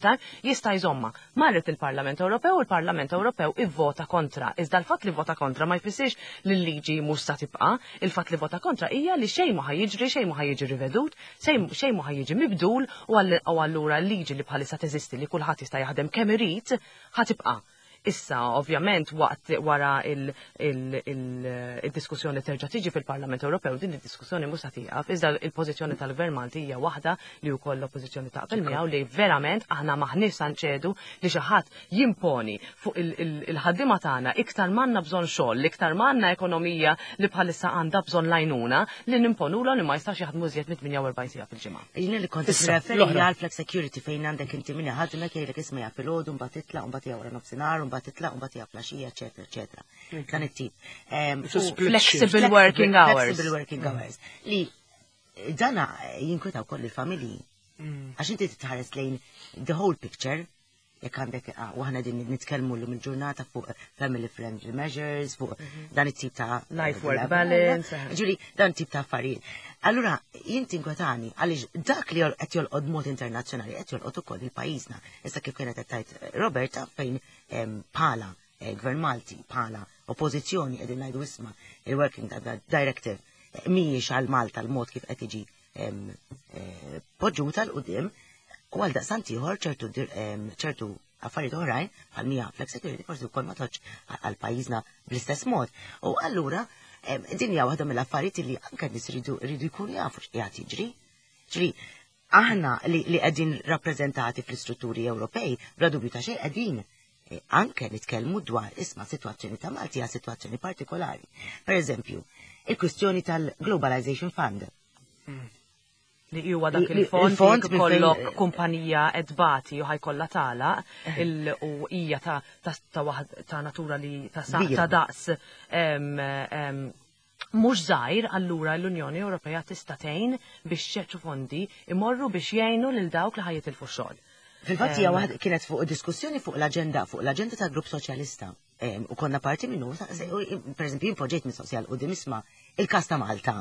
jista' jżommha. Marret il-Parlament Ewropew u l-Parlament Ewropew ivvota kontra. Iżda l-fatt li vvota kontra ma jfissirx li l-liġi mhux sa tibqa'. Il-fatt li vvota kontra hija li xejn ma ħa jiġri, xejn ma ħa jiġi rivedut, xejn ma ħa jiġi mibdul u allura l-liġi li bħalissa teżisti li kulħadd jista' jaħdem kemm irid ħa tibqa'. Issa, ovvjament, waqt wara il-diskussjoni terġa' tiġi fil-Parlament Ewropew, din id-diskussjoni mhux se tieqaf, iżda il-pożizzjoni tal-Gvern Malti hija waħda li wkoll l-Oppożizzjoni taqbel miegħu li verament aħna m'aħniex sa nċedu li xi ħadd jimponi fuq il-ħaddiema tagħna iktar m'għandna bżonn xogħol, iktar m'għandna ekonomija li bħalissa għandha bżonn l-għajnuna li nimponulhom li ma jistax jaħdmu iżjed minn 48 siegħa fil-ġimgħa. Jiena li kont nirreferi għal flex security fejn għandek inti min iħaddmek jgħidlek isma' ja filgħodu mbagħad titlaq mbagħad hija wara nofsinhar mbagħad titlaq mbagħad hija flaxija eċetera eċetera. Dan it-tip. Flexible working hours. Flexible working hours. Li dana jinkweta wkoll il-familji. Mm. Għax inti titħares lejn the whole picture jekk għandek ah, u aħna din nitkellmu llum il-ġurnata fuq family friendly measures, fuq mhm. dan it-tip ta' life work balance. Ġuri, dan tip ta' affarijiet. Allura, jien tinkwetani għaliex dak li qed jolqod mod internazzjonali qed jolqod ukoll il-pajjiżna. Issa kif kienet qed tgħid Roberta fejn bħala Gvern Malti, bħala oppożizzjoni qegħdin ngħidu isma' il-Working Directive mhijiex għal Malta l-mod kif qed tiġi poġġuta 'l quddiem u għal daqstant ieħor ċertu affarijiet oħrajn bħal mija flexicurity forsi wkoll ma toġġ għal pajjiżna bl-istess mod. U allura din hija waħda mill-affarijiet li anke nies rridu jkunu jafu x'qiegħed jiġri. Ġri, aħna li qegħdin rappreżentati fl-istrutturi Ewropej, bla dubju ta' xejn qegħdin eh, anke nitkellmu dwar isma' sitwazzjoni ta' Malti hija sitwazzjoni partikolari. Per eżempju, il-kwistjoni tal-Globalization Fund. Li huwa dak il-fond li kollok kumpanija edbati u ħajkollha tagħlaq eh. u hija ta' ta' natura li ta' ta' daqs mhux żgħir allura l-Unjoni Ewropea tista' tgħin biex ċertu fondi imorru biex jgħinu lil dawk li ħajitilfu x-xogħol. Fil-fatt hija waħda kienet fuq diskussjoni fuq l-aġenda fuq l-aġenda tal-Grupp Soċjalista u konna parti minnu, per eżempju, jien poġġejt mistoqsija l qudiem isma' il-każ ta' Malta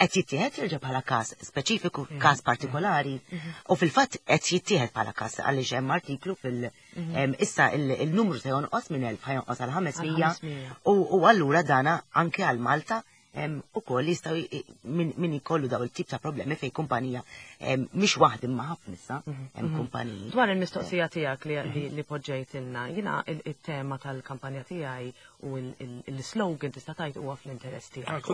qed jittieħed jerġa' bħala każ speċifiku, mhm. każ partikolari, mhm. u fil-fatt qed jittieħed bħala każ għaliex hemm artiklu fil- mhm. issa il-numru se jonqos minn 1000 ħajonqos għal 500 u allura dana anke għal Malta u koll jistaw min ikollu daw il-tip ta' problemi fej kumpanija mhix waħd imma ħafna issa hemm kumpaniji. Dwar il-mistoqsija tiegħek li poġġejtilna, jiena il-tema tal-kampanja tiegħi u l-slogan tista' tgħid huwa fl-interess tiegħek.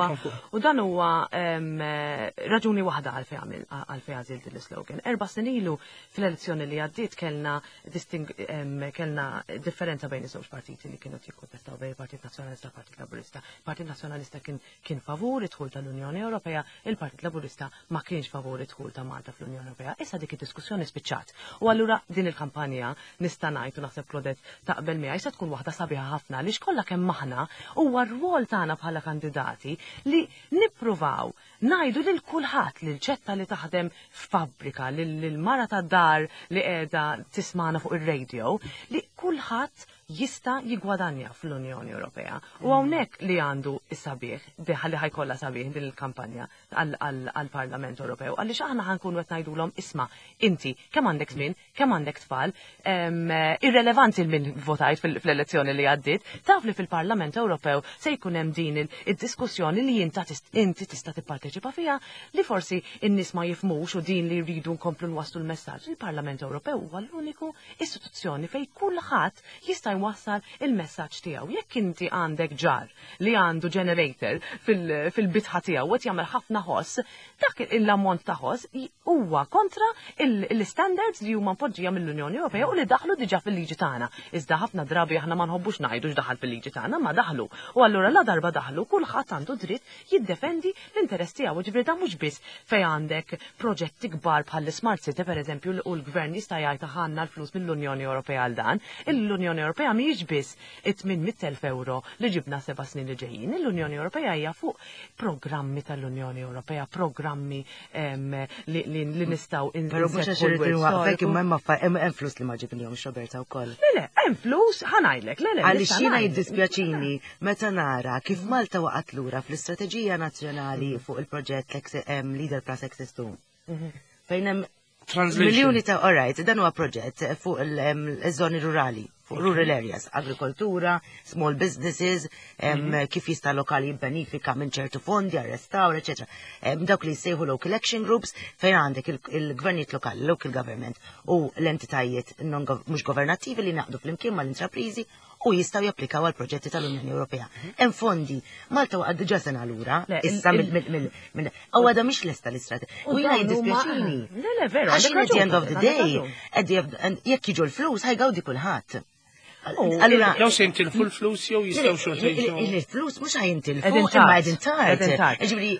Ah, u dan huwa raġuni waħda għalfejn għalfejn għażilt l-slogan. Erba' snin ilu fl-elezzjoni li għaddiet kellna kellna differenza bejn iż-żewġ partiti li kienu jikkontestaw bejn il-Partit Nazzjonalista u l-Partit Laburista. Partit Nazzjonalista kien kien favur id-dħul tal-Unjoni Ewropea, il-Partit Laburista ma kienx favur id-dħul ta' Malta fl-Unjoni Ewropea. Issa dik id-diskussjoni spiċċat. U allura din il-kampanja nista' ngħid u naħseb Claudette taqbel miegħi se tkun waħda sabiħa ħafna għaliex kollha kemm aħna huwa r-rwol tagħna bħala kandidati li nippruvaw ngħidu lil kulħadd lil ċetta li taħdem f'fabbrika, lil mara tad-dar li qiegħda tismana fuq ir-radio, li kulħadd jista' jiggwadanja fl-Unjoni Ewropea. U hawnhekk li għandu s-sabiħ, li ħajkollha sabiħ din il-kampanja għall-Parlament Ewropew, għaliex aħna ħankunu qed ngħidulhom isma' inti kemm għandek żmien, kemm għandek tfal, irrelevanti l-min votajt fl-elezzjoni li għaddiet, taf li fil-Parlament Ewropew se jkun hemm din id-diskussjoni li inti tista' tipparteċipa fiha li forsi n-nies ma jifhmux u din li rridu nkomplu nwasslu l-messaġġ. Il-Parlament Ewropew huwa l-uniku istituzzjoni fejn kulħadd jista' jwassal il-messaġġ tiegħu. Jekk inti għandek ġar li għandu generator fil-bitħa tiegħu u qed jagħmel ħafna ħoss, dak l-ammont ta' ħoss huwa kontra l-standards li huma mpoġġija mill-Unjoni Ewropea u li daħlu diġà fil-liġi tagħna. Iżda ħafna drabi aħna ma nħobbux ngħidu x'daħal fil-liġi tagħna, ma daħlu. U allura la darba daħlu kulħadd għandu dritt jiddefendi l-interess tiegħu. Ġifieri dan mhux biss fejn għandek proġetti kbar bħall-Smart City pereżempju u l-gvern jista' jgħid aħna l-flus mill-Unjoni Ewropea għal dan. L-Unjoni Ewropea mhijiex biss it-800,000 euro li ġibna seba' snin li ġejjin. L-Unjoni Ewropea hija fuq programmi tal-Unjoni Ewropea, programmi li nistgħu Però mhux għax irid inwaqqfek imma hemm hemm flus li ma ġibnihomx Roberta wkoll. Le le, hemm flus ħa ngħidlek, le le. Għaliex jiena jiddispjaċini meta nara kif Malta waqgħet lura fl-istrateġija nazzjonali fuq il-proġett Leader Plus Access 2. Mhm. Fejn hemm miljuni ta' all right, dan huwa proġett fuq il-żoni rurali, fuq rural areas, agrikoltura, small businesses, mhm. kif jista' lokali jibbenifika minn ċertu fondi, arrestaw, eccetera. Dawk li jsejħu local action groups fejn għandek il-gvernijiet lokali, local government u l-entitajiet mhux governattivi li naqdu flimkien mal-intraprizi u jistgħu japplikaw għal proġetti tal-Unjoni Ewropea. Hemm fondi, Malta waqgħet diġà sena lura, issa mill u għadha mhix lesta l-istrateġija. U jiena jiddispjaċini. Le, le, veru. Għax at the end of the day, jekk jiġu l-flus ħajgawdi kulħadd. Allura, jew se jintilfu l-flus jew jistgħu xorta. Il-flus mhux ħajintilfu, imma qegħdin tard. Ġifieri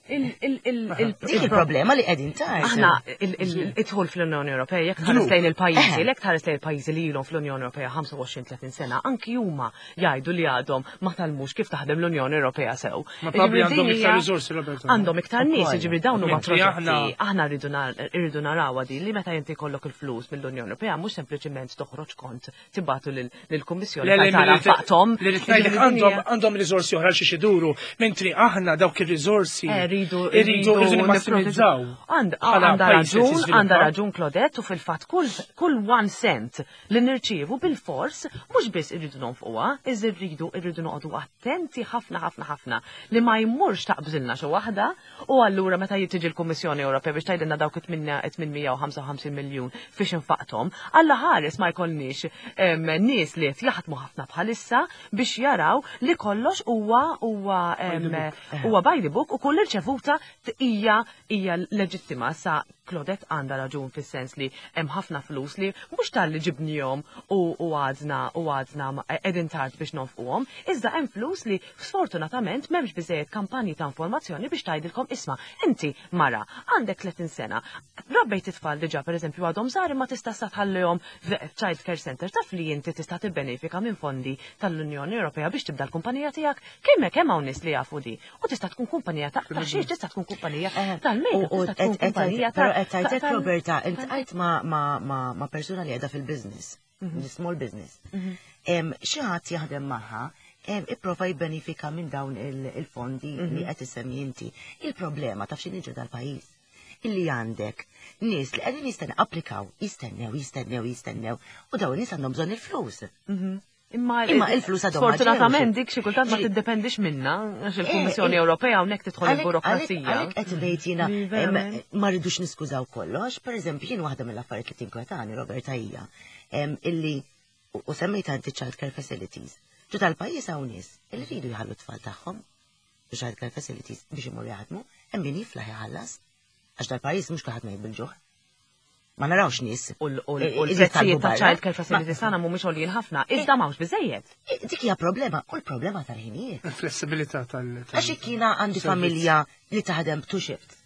Dik il-problema li qegħdin tard. Aħna id-dħul fl-Unjoni Ewropea jekk tħares lejn il-pajjiżi, jekk tħares lejn il-pajjiżi li ilhom fl-Unjoni Ewropea 25-30 sena, anki huma jgħidu li għadhom ma tgħallmux kif taħdem l-Unjoni Ewropea sew. Ma probabbli għandhom iktar riżorsi, Roberto. Għandhom iktar nies, jiġifieri dawn huma proġetti. Aħna rridu narawha din li meta inti jkollok il-flus mill-Unjoni Ewropea mhux sempliċiment toħroġ kont tibatu lill-Kummissjoni tara faqthom. Li ngħidlek għandhom għandhom riżorsi oħra xi iduru, mentri aħna dawk ir-riżorsi. Eh, Irridu Irridu irridu nimmassimizzaw. Għandha raġun, għandha raġun Claudette u fil-fatt kull one cent li nirċievu bil-fors mhux biss irridu nonfquha, iżda rridu irridu noqogħdu attenti ħafna ħafna ħafna li ma jmurx taqbżilna xi waħda u allura meta tiġi l-Kummissjoni Ewropea biex tgħidilna dawk 855 miljun fiex infaqthom, Alla ħares ma jkollniex nies li qed jaħdmu ħafna bħalissa biex jaraw li kollox huwa huwa huwa by the book u kull irċevuta hija hija leġittima sa Claudette għandha raġun fis-sens li hemm ħafna flus li mhux talli ġibnihom u għadna u għadna qegħdin tard biex nonfquhom, iżda hemm flus li sfortunatament m'hemmx biżejjed kampanji ta' informazzjoni biex tgħidilkom isma' inti mara għandek 30 sena, rabbejt it-tfal diġà pereżempju għadhom żgħar imma tista' sa tħallihom child care center taf li inti tista' tibbenefika minn fondi tal-Unjoni Ewropea biex tibda l-kumpanija tiegħek kemm kemm hawn nies li jafu di. U tista' tkun kumpanija ta' xiex, tista' tkun kumpanija tal-makeup, tista' tkun kumpanija ta' Però qed tgħidlek Roberta, iltqajt ma' persuna li qiegħda fil-business, small business. Xi ħadd jaħdem magħha ipprova jibbenifika minn dawn il-fondi li qed issemmi inti. Il-problema taf x'inhi dal-pajjiż illi għandek nies li qegħdin jistennew applikaw, jistennew, jistennew, jistennew, u dawn nies għandhom bżonn il-flus. Imma il-flus għadhom. Sfortunatament dik xi kultant ma tiddependix minna, għax il-Kummissjoni eh, Ewropea hawnhekk tidħol il-burokrazija. Għalhekk qed ngħid jiena ma rridux niskużaw kollox, pereżempju jien waħda mill-affarijiet li tinkwetani Roberta hija illi u semmejt anti child care facilities. Ġu tal-pajjiż hawn nies illi rridu jħallu t-tfal tagħhom child care facilities biex imorru jaħdmu, hemm min jiflaħ iħallas. Għax dal-pajjiż mhux kulħadd mejt bil-ġuħ. Ma narawx nies. U l-prezzijiet ta' child care facilities tagħna mhumiex għoljin ħafna, iżda m'hawnx biżejjed. Dik hija problema, u l-problema tal-ħinijiet. Il-flessibilità tal- Għax jekk jiena għandi familja li taħdem two shift.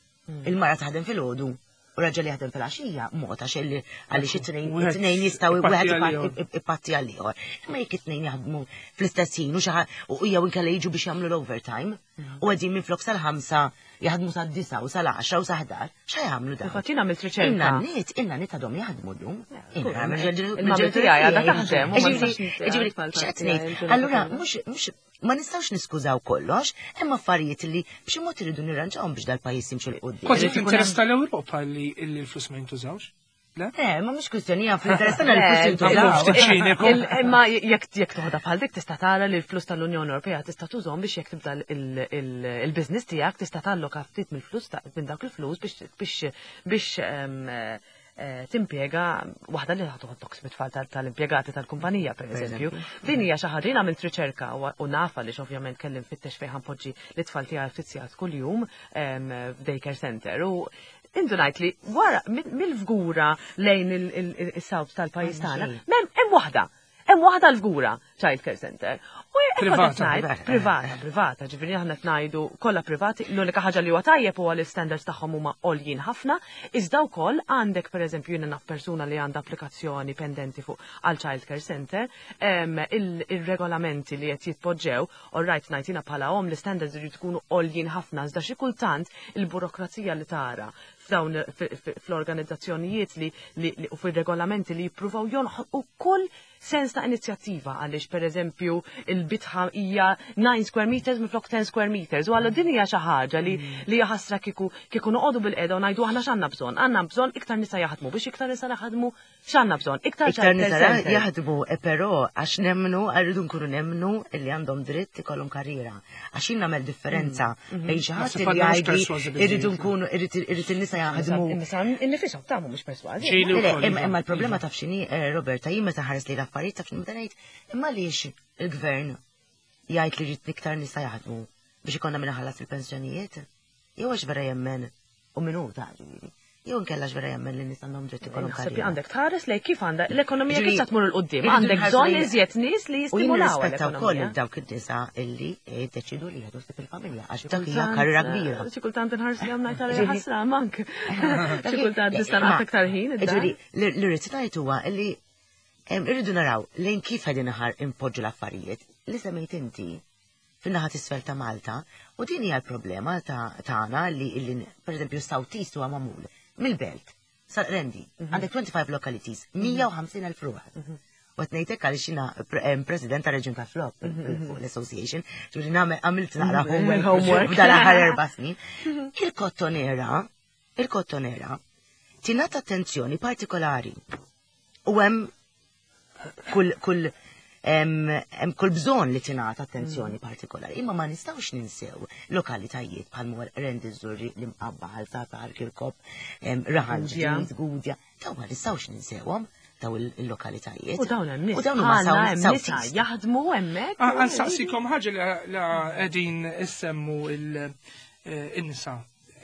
Il-mara taħdem fil-għodu u raġel jaħdem fil-għaxija, mod għax għaliex it-tnejn jistgħu wieħed ipatti għal ieħor. Imma jekk it-tnejn jaħdmu fl-istess ħin u xi u jew inkella jiġu biex jagħmlu l-overtime u qegħdin minflok sal-5 jaħdmu sad-9 u sal-10 u sa-11, xa jagħmlu dawn? Infatti jien għamilt riċerka. In-nanniet, in-nanniet għadhom jaħdmu llum. Il-mami tiegħi għadha taħdem. Ġifieri, x'qed ngħid? Allura mhux ma nistgħux niskużaw kollox, hemm affarijiet li b'xi mod iridu nirranġawhom biex dal-pajjiż jimxu 'l quddiem. Kważi fl-interess tal-Ewropa li l-flus ma jintużawx. Le, ma mhux kwistjoni hija fl-interess tagħna li l-flus jintużaw. Imma jekk jekk toħodha bħal dik tista' tara li l-flus tal-Unjoni Ewropea tista' tużhom biex jekk tibda il-business tiegħek tista' talloka ftit mill-flus minn dawk il-flus biex biex biex timpjega waħda li toħodok mit-tfal tal-impjegati tal-kumpanija pereżempju. Din hija xi ħaġa jien għamilt riċerka u nafa li ovvjament kelli nfittex fejn ħanpoġġi l-itfal tiegħi ftit sigħat kuljum f'daycare center u indunajt li wara mill-fgura lejn il-south tal-pajjiż tagħna, m'hemm hemm waħda. Hemm waħda l-fgura child care center. U Privata. Privata, privata, ġifieri aħna qed ngħidu kollha privati, l-unika ħaġa li huwa tajjeb huwa li standards tagħhom huma għoljin ħafna, iżda wkoll għandek pereżempju jiena naf persuna li għandha applikazzjoni pendenti fuq għal child care center, il-regolamenti li qed jitpoġġew, all right ngħid jiena bħala omm l-standards iridu jkunu għoljin ħafna, iżda xi kultant il-burokrazija li tara f'dawn fl-organizzazzjonijiet li u fir-regolamenti li jippruvaw jonħolqu kull sens ta' inizjattiva għaliex pereżempju il-bitħa hija 9 square meters minflok 10 square meters u għallu din hija xi ħaġa li li hija ħasra kieku kieku noqogħdu bil-qiegħda u ngħidu aħna x'għandna bżonn. Għandna bżonn iktar nisa jaħdmu biex iktar nisa jaħdmu x'għandna bżonn? Iktar Iktar nisa jaħdmu, però għax nemmnu, rridu nkunu nemmnu li għandhom dritt ikollhom karriera. Għax jien nagħmel differenza bejn xi ħadd li jgħidli irridu nkunu irrid in-nisa jaħdmu. In-nisa innifishom ta' mhumiex persważi. Imma l-problema taf x'inhi, Roberta, jien meta ħares li l-affarijiet taf x'inhi meta ngħid, imma għaliex il-gvern jgħid li jrid iktar nisa jaħdmu biex ikollna min iħallas il-pensjonijiet? Jew għax vera jemmen u min hu ta' ġifieri. Jew inkella għax vera jemmen li n-nies għandhom dritt ikollhom karriera. Naħseb għandek tħares lejn kif għandha l-ekonomija kif se tmur 'il quddiem. Għandek bżonn iżjed nies li jistimulaw. U nirrispetta wkoll lil dawk in-nisa illi jiddeċidu li jieħdu ħsieb il-familja għax dak hija karriera kbira. Xi kultant inħares li ngħid għalija ħasra mank. Xi kultant nista' nagħti aktar ħin. Ġifieri li rrid ngħid huwa illi irridu naraw lejn kif qegħdin impoġġu l-affarijiet li semmejt inti fin-naħa t'isfel ta' Malta u din hija l-problema tagħna li illi pereżempju South East huwa magħmul mill-belt sal-Qrendi. Għandek 25 localities, 150,000 ruħ. U qed ngħid hekk għaliex jiena president ta' Reġjun ta' Flop fuq l-Association, ġifieri nagħmel għamilt naqra homework Homework. f'dan l-aħħar erba' snin. Il-kottonera, il-kottonera tingħata attenzjoni partikolari. U hemm kull kull hemm kull bżonn li tingħata attenzjoni partikolari. Imma ma nistgħux ninsew lokalitajiet bħal mor Qrendi Żurrieq l-Imqabba Ħal Safi Ħal Kirkop, Raħal Gudja. Ġdid, Gudja. Dawn ma nistgħux ninsewhom daw il-lokalitajiet. U dawn hemm nies. U dawn huma bħalna hemm South nisa East. jaħdmu hemmhekk. Għansaqsikom ħaġa li qegħdin issemmu il-nisa.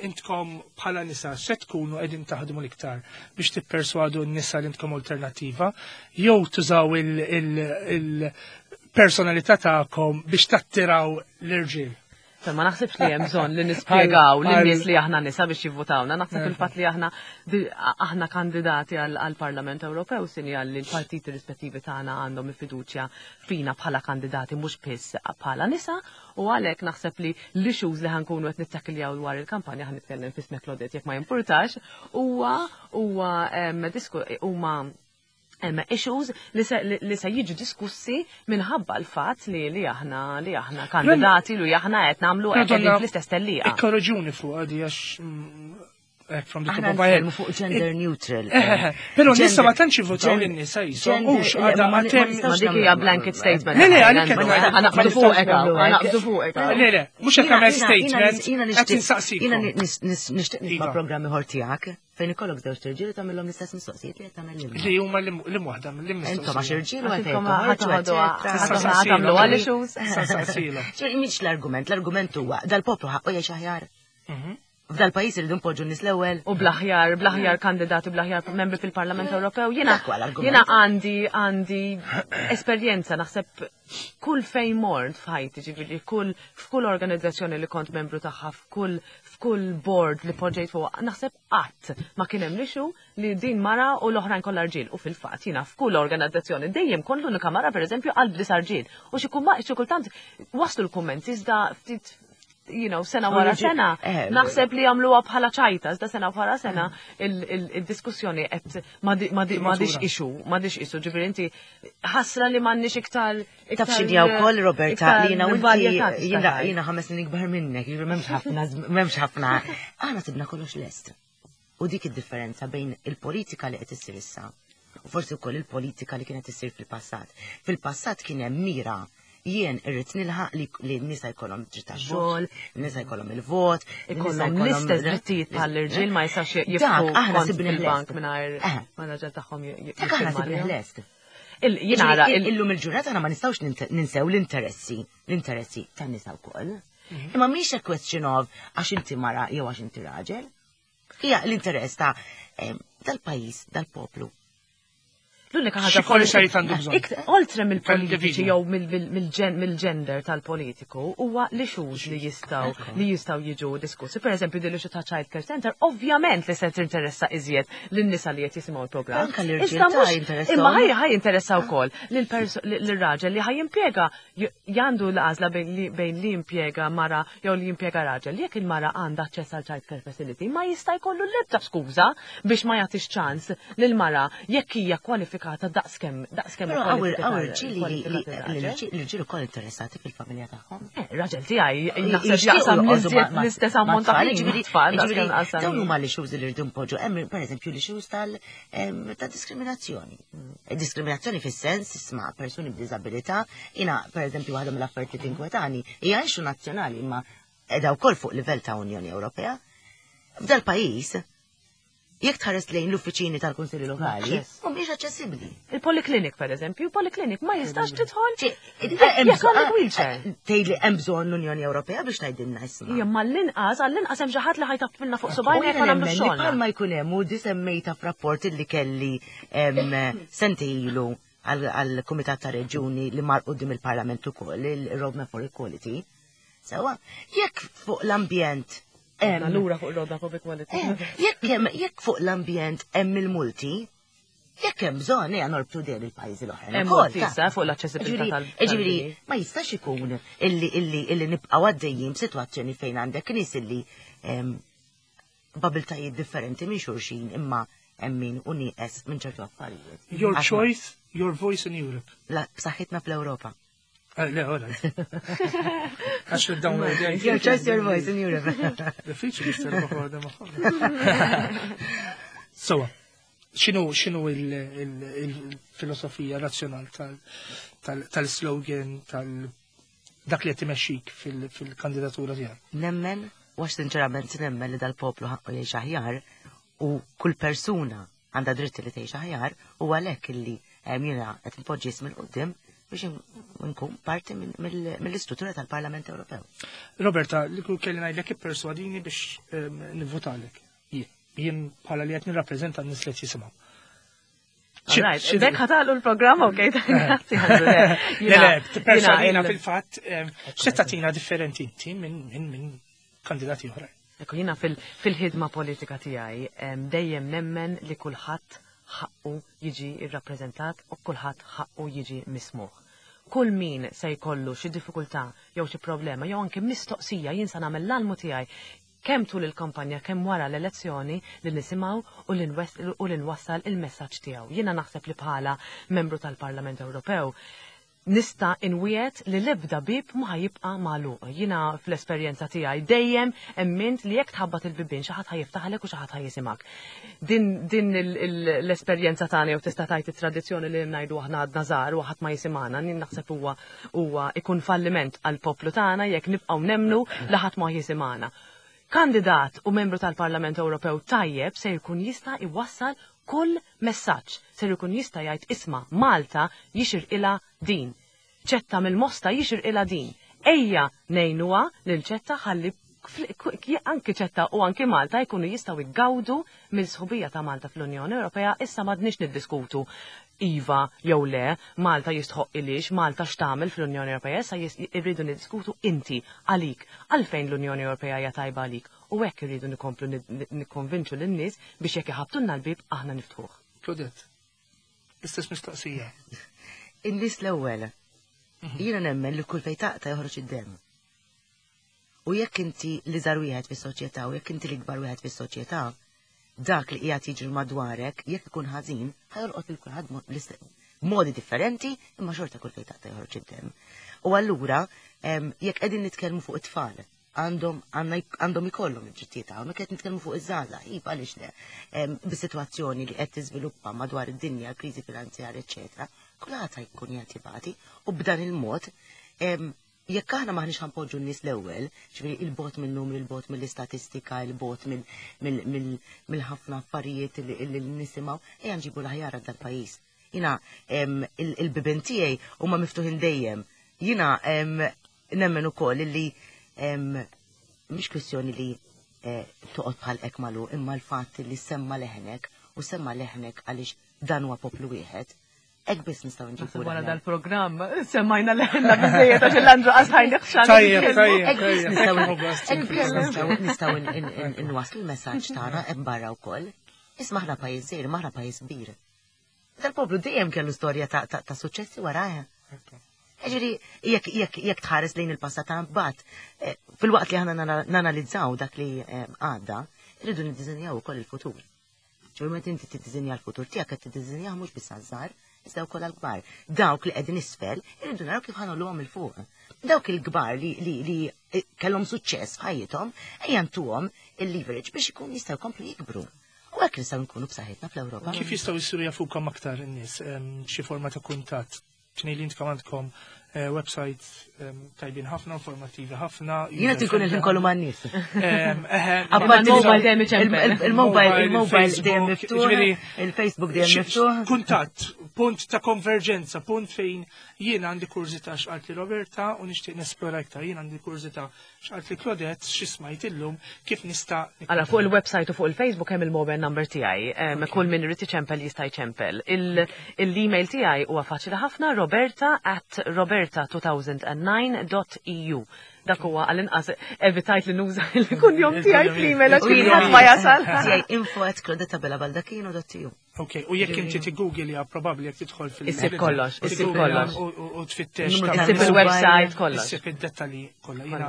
Intkom bħala nisa se tkunu qegħdin taħdmu l-iktar biex tipperswadu n-nisa li intkom alternattiva jew tużaw il-personalità tagħkom biex tattiraw l-irġiel. Ma naħsibx li hemm bżonn li nispjegaw lin-nies li aħna nisa biex jivvutawna. Naħseb il-fatt li aħna aħna kandidati għall-Parlament Ewropew sinjal li l-partiti rispettivi tagħna għandhom il-fiduċja fina bħala kandidati mhux biss bħala nisa, u għalhekk naħseb li l-issues li ħankunu qed nittakiljaw dwar il-kampanja, ħan nitkellem f'ismek Claudette jekk ma jimpurtax, huwa huwa huma hemm issues li se jiġu diskussi minħabba l-fatt li aħna kandidati li aħna qed nagħmlu qed qegħdin fl-istess tellieqa. Ikkorreġuni fuq għadi għax hekk from the top Aħna of my head. nitkellmu fuq gender neutral. Però nisa ma tantx jivvotaw lin-nisa jisom, hux għadha ma għatem. Ma dik hija blanket statement. Le, le, għalik qed ngħid. Ħa naqbdu fuqek, ħa naqbdu fuqek. Le, le, mhux hekk għamel statement, qed insaqsikom. Jiena nixtieq nisma' Iva. programmi ieħor tiegħek fejn ikollok żewġ irġiel u tagħmilhom l-istess mistoqsijiet li qed tagħmel lilna. Li huma li waħda Intom għax irġiel u għalfejn Għax toħorġu, eċetera. tagħmlu għal issues. Saqsilhom. Ġifieri mhix l-argument, l-argument huwa dal-poplu ħaqqu jgħix aħjar. F'dal-pajjiż irridu npoġġu n-nies l-ewwel. U bl-aħjar kandidati, bl-aħjar membri fil-Parlament Ewropew. Jiena Dak huwa l-argument. jiena għandi esperjenza naħseb kull fejn mort f'ħajti, ġifieri kull f'kull organizzazzjoni li kont membru tagħha, f'kull board li poġġejt fuq, naħseb qatt ma kien hemm issue li din mara u l-oħrajn kollha rġiel. U fil-fatt jiena f'kull organizzazzjoni dejjem kont l-unika mara, pereżempju, qalb disa' rġiel. U xi kultant waslu l-kummenti, iżda ftit sena wara sena, naħseb li jagħmluha bħala ċajta, iżda sena wara sena il-diskussjoni qed m'għadix issue, m'għadix issue, ġifieri inti ħasra li m'għandniex iktar. Taf x'inhi wkoll, Roberta, li jiena u inti, jiena 5 snin ikbar minnek, jiġifieri m'hemmx ħafna, m'hemmx ħafna. Aħna sibna kollox lest. U dik id-differenza bejn il-politika li qed issir issa u forsi wkoll il-politika li kienet issir fil-passat. Fil-passat kien hemm mira: jien irrid nilħaq li n-nisa jkollhom dritt tax-xogħol, n-nisa jkollhom il-vot, ikollhom l-istess drittijiet bħall-irġiel, ma jistax jiftħu aħna fil-bank mingħajr ma raġel tagħhom. Dak aħna sibni lest. Jiena Illum il-ġurnata aħna ma nistgħux ninsew l-interessi tan-nisa wkoll. Imma mhix a question of għax inti mara jew għax inti raġel. Hija l-interess ta' dal-pajjiż, dal-poplu. L-unika ħaġa Xi xejn għandu bżonn. Oltre mill-politiċi jew mill-gender tal-politiku huwa l-issues li jistgħu jiġu diskussi. Per eżempju, din l-issue ta' child care center, ovvjament li se tinteressa iżjed lin-nisa li qed jisimgħu l-programm. Anka l-irġiel ta' jinteressaw. Imma ħaj jinteressa wkoll lir-raġel li ħaj jimpjega jandu l-għażla bejn li jimpjega mara jew li jimpjega raġel. Jekk il-mara għandha aċċess għal child care facility, ma jista' jkollu l-ebda skuża biex ma jagħtix ċans lil-mara jekk hija kwalifikata daqskemm Però hawn irġiel li l-irġiel ukoll interessati fil-familja tagħhom. Raġel tiegħi naħseb jaqsam l-istess ammont ta' ħin mat-tfal daqskemm qasam. Dawn huma l-issues li rridu npoġġu. Hemm pereżempju l-issues ta' diskriminazzjoni. Diskriminazzjoni fis-sens isma' persuni b'diżabilità, jiena pereżempju waħda mill-affarijiet li tinkwetani hija issue nazzjonali imma qiegħda wkoll fuq livell ta' Unjoni Ewropea. F'dal pajjiż jekk tħares lejn l-uffiċini tal-Kunsilli Lokali, mhumiex aċċessibbli. Il-polyclinic, per eżempju, il-polyclinic ma jistax tidħol jekk għandek wheelchair. Tgħidli hemm bżonn l-Unjoni Ewropea biex tgħidilna isma'. Ija, ma l-inqas, għall-inqas hemm xi ħadd li ħa jtappilna fuq subgħajna jekk ma nagħmlu xogħol. Bħalma jkun hemm u di semmejta f'rapport li kelli sentejn ilu għal-Kumitat ta' Reġuni li mar quddiem il-Parlament ukoll, il-Roadmap for Equality. Sewa, jekk fuq l-ambjent Lura fuq roadmap of equality. Jekk fuq l-ambjent hemm il-multi, jekk hemm bżonn ejja norbtu dejjem il-pajjiżi l-oħra. Hemm multi issa fuq l-aċċessibilità tal. Ġifieri, ma jistax ikun illi nibqgħu għaddejjin b'sitwazzjoni fejn għandek nies illi b'abiltajiet differenti minn xulxin imma Hemm min hu nieqes minn ċertu affarijiet. Your choice, your voice in Europe. La, b'saħħitna fl-Ewropa. Eh, le, all right. Għax il-download Your choice, your voice in Europe. Diffiċli xterba għadha magħhom. Sowa, xinu xinu il-filosofija razzjonal tal-slogan tal dak li qed imexxik fil-kandidatura tiegħek? Nemmen, u għax sinċerament nemmen li dal-poplu ħaqqu jgħix aħjar u kull persuna għandha dritt li tgħix aħjar u għalhekk illi jiena qed npoġġi ismi 'l quddiem biex nkun parti mill-istruttura tal-Parlament Ewropew. Roberta, li kull kelli ngħidlek ipperswadini biex nivvotalek. Jien bħala li qed nirrappreżenta n-nies li qed jisimgħu. Bek ħatalu l-programm, ok, grazzi. Le, le, perswadina fil-fatt, x'se tagħtina differenti inti minn kandidati oħrajn. Ekku, jiena fil-ħidma politika tiegħi dejjem nemmen li kulħadd ħaqqu jiġi rrappreżentat u kulħadd ħaqqu jiġi mismugħ. Kull min se jkollu xi diffikultà jew xi problema jew anke mistoqsija jien se nagħmel l-almu tiegħi kemm tul il-kampanja kemm wara l-elezzjoni li nisimgħu u li nwassal il-messaġġ tiegħu. Jiena naħseb li bħala membru tal-Parlament Ewropew nista' inwiegħed li l-ebda bieb ma ħa jibqa' magħluq. Jiena fl-esperjenza tiegħi dejjem emmint li jekk tħabbat il-bibien xi ħadd ħa jiftaħlek u xi ħadd ħa jisimgħek. Din, din l-esperjenza tagħna jew tista' tgħid it-tradizzjoni li ngħidu aħna għadna żgħar u ħadd ma jisimgħana, jien naħseb huwa huwa ikun falliment għall-poplu tagħna jekk nibqgħu nemmnu li ħadd ma jisimgħana. Kandidat u membru tal-Parlament Ewropew tajjeb se jkun jista' jwassal kull messaġġ, ser ikun jista' jgħid isma' Malta jixirqilha din. Ċetta mill-Mosta jixirqilha din. Ejja ngħinuha lil Ċetta ħalli anki Ċetta u anki Malta jkunu jistgħu jgawdu mill-sħubija ta' Malta fl-Unjoni Ewropea. Issa m'għadniex niddiskutu iva jew le, Malta jistħoqqilhiex, Malta x'tagħmel fl-Unjoni Ewropea, issa irridu niddiskutu inti għalik, għalfejn l-Unjoni Ewropea hija tajba għalik. U hekk irridu nikomplu nikkonvinċu lin-nies biex jekk iħabbtulna l-bieb aħna niftħuh. Claudette, l-istess mistoqsija. In-nies l-ewwel. Jiena nemmen li kull fejn taqta' joħroġ id-demm. U jekk inti l-iżgħar wieħed fis-soċjetà u jekk inti l-ikbar wieħed fis-soċjetà, dak li qiegħed jiġri madwarek, jekk ikun ħażin, ħa jolqot lil kulħadd b'modi differenti, imma xorta kull fejn taqta' joħroġ id-demm. U allura, jekk qegħdin nitkellmu fuq it-tfal, għandhom ikollhom id-drittijiet tagħhom, jekk qed nitkellmu fuq iż-żgħażagħ, iva għaliex le, bis-sitwazzjoni li qed tiżviluppa madwar id-dinja, kriżi finanzjarja, eċċetera, kulħadd ħa jkun qiegħed jibati u b'dan il-mod jekk aħna m'aħniex ħa npoġġu n-nies l-ewwel, ġifieri il-bogħod minn numri, il-bogħod mill-istatistika, il-bogħod mill-ħafna affarijiet li nisimgħu, ejja nġibu l-aħjar għal dal-pajjiż. Jiena il-bibien tiegħi huma miftuħin dejjem. Jiena nemmen ukoll li mhix kwistjoni li toqgħod bħal hekk magħluq, imma l-fatt li semma leħnek u semma leħnek għaliex dan huwa poplu wieħed. Hekk biss nistgħu nġibu. Naħseb wara dal-programm semmajna leħenna biżejjed għax il-Andrew qas ħajneħxan. Tajjeb, tajjeb, Hekk biss tajjeb. Hekk biss nistgħu nwasslu l-messaġġ tagħna hemm barra wkoll. Isma' aħna pajjiż żgħir, ma aħna pajjiż kbir. Dal-poplu dejjem kellu storja ta' suċċessi warajha. Ġifieri, jekk tħares lejn il-passat ta' mbagħad, filwaqt li aħna nanalizzaw dak li għadda, irridu niddiżinjaw ukoll il-futur. Ġifieri meta inti tiddiżinja l-futur tiegħek qed tiddiżinjah mhux biss għaż-żgħar, iżda wkoll għall-kbar. Dawk li qegħdin isfel irridu naraw kif ħa ngħolluhom 'il fuq. Dawk il-kbar li kellhom suċċess f'ħajjithom, ejja ntuhom il-leverage biex ikun jistgħu jkomplu jikbru. U hekk nistgħu nkunu b'saħħitna fl-Ewropa. Kif jistgħu jsiru jafukom aktar in-nies, xi forma ta' kuntatt? Tnejn li intkom għandkom website tajbin ħafna, informattivi ħafna. Jiena tinkun il-ħin kollu man-nies. Apparti il-mobile dejjem iċempel. Il-mobile, il-mobile dejjem Il-Facebook, miftuħ, ġifieri, il-Facebook dejjem miftuħ. Kuntatt, punt ta' konverġenza, punt fejn jiena għandi kurżità x'qalt li Roberta u nixtieq nesplora iktar, jien għandi kurżità x'qalt li Claudette, xi smajt illum, kif nista' Ara, fuq il-website u fuq il-Facebook hemm il-mobile number tiegħi. Kull min irid iċempel jista' jċempel. Il-email tiegħi huwa faċli ħafna, roberta at roberta two thousand and nine dot e u. Dak huwa għall-inqas evitajt li nuża il-kunjom tiegħi fl-email għax kien ħadd ma jasal. Tiegħi info@claudettabellabaldacchino.eu. Ok, u jekk inti tiggooglja probabbli jekk tidħol fil- Issib kollox, issib kollox. U tfittex. Issib il-website kollox. Issib id-dettalji kollha. Jiena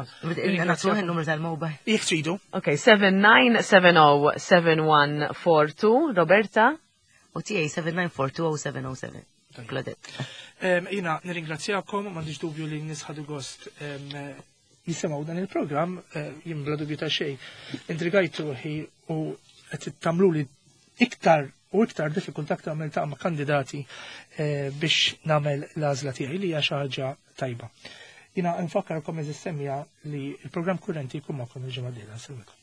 Nagħtuh il-numru tal-mobile. Jekk tridu. Ok, 79707142, Roberta. U tiegħi 79420707. Claudette. Jiena nirringrazzjakom, m'għandix dubju li n-nies ħadu gost jisimgħu dan il-programm, jien bla dubju ta' xejn. Intrigajt ruħi u qed tagħmluli iktar u iktar diffikultà aktar niltaqa' ma' kandidati biex nagħmel l-għażla tiegħi li hija xi ħaġa tajba. Jiena nfakkarkom eżis semmiegħa li l-programm kurrenti jkun magħkom il-ġimgħa d-dieħla. Nsellmilkom.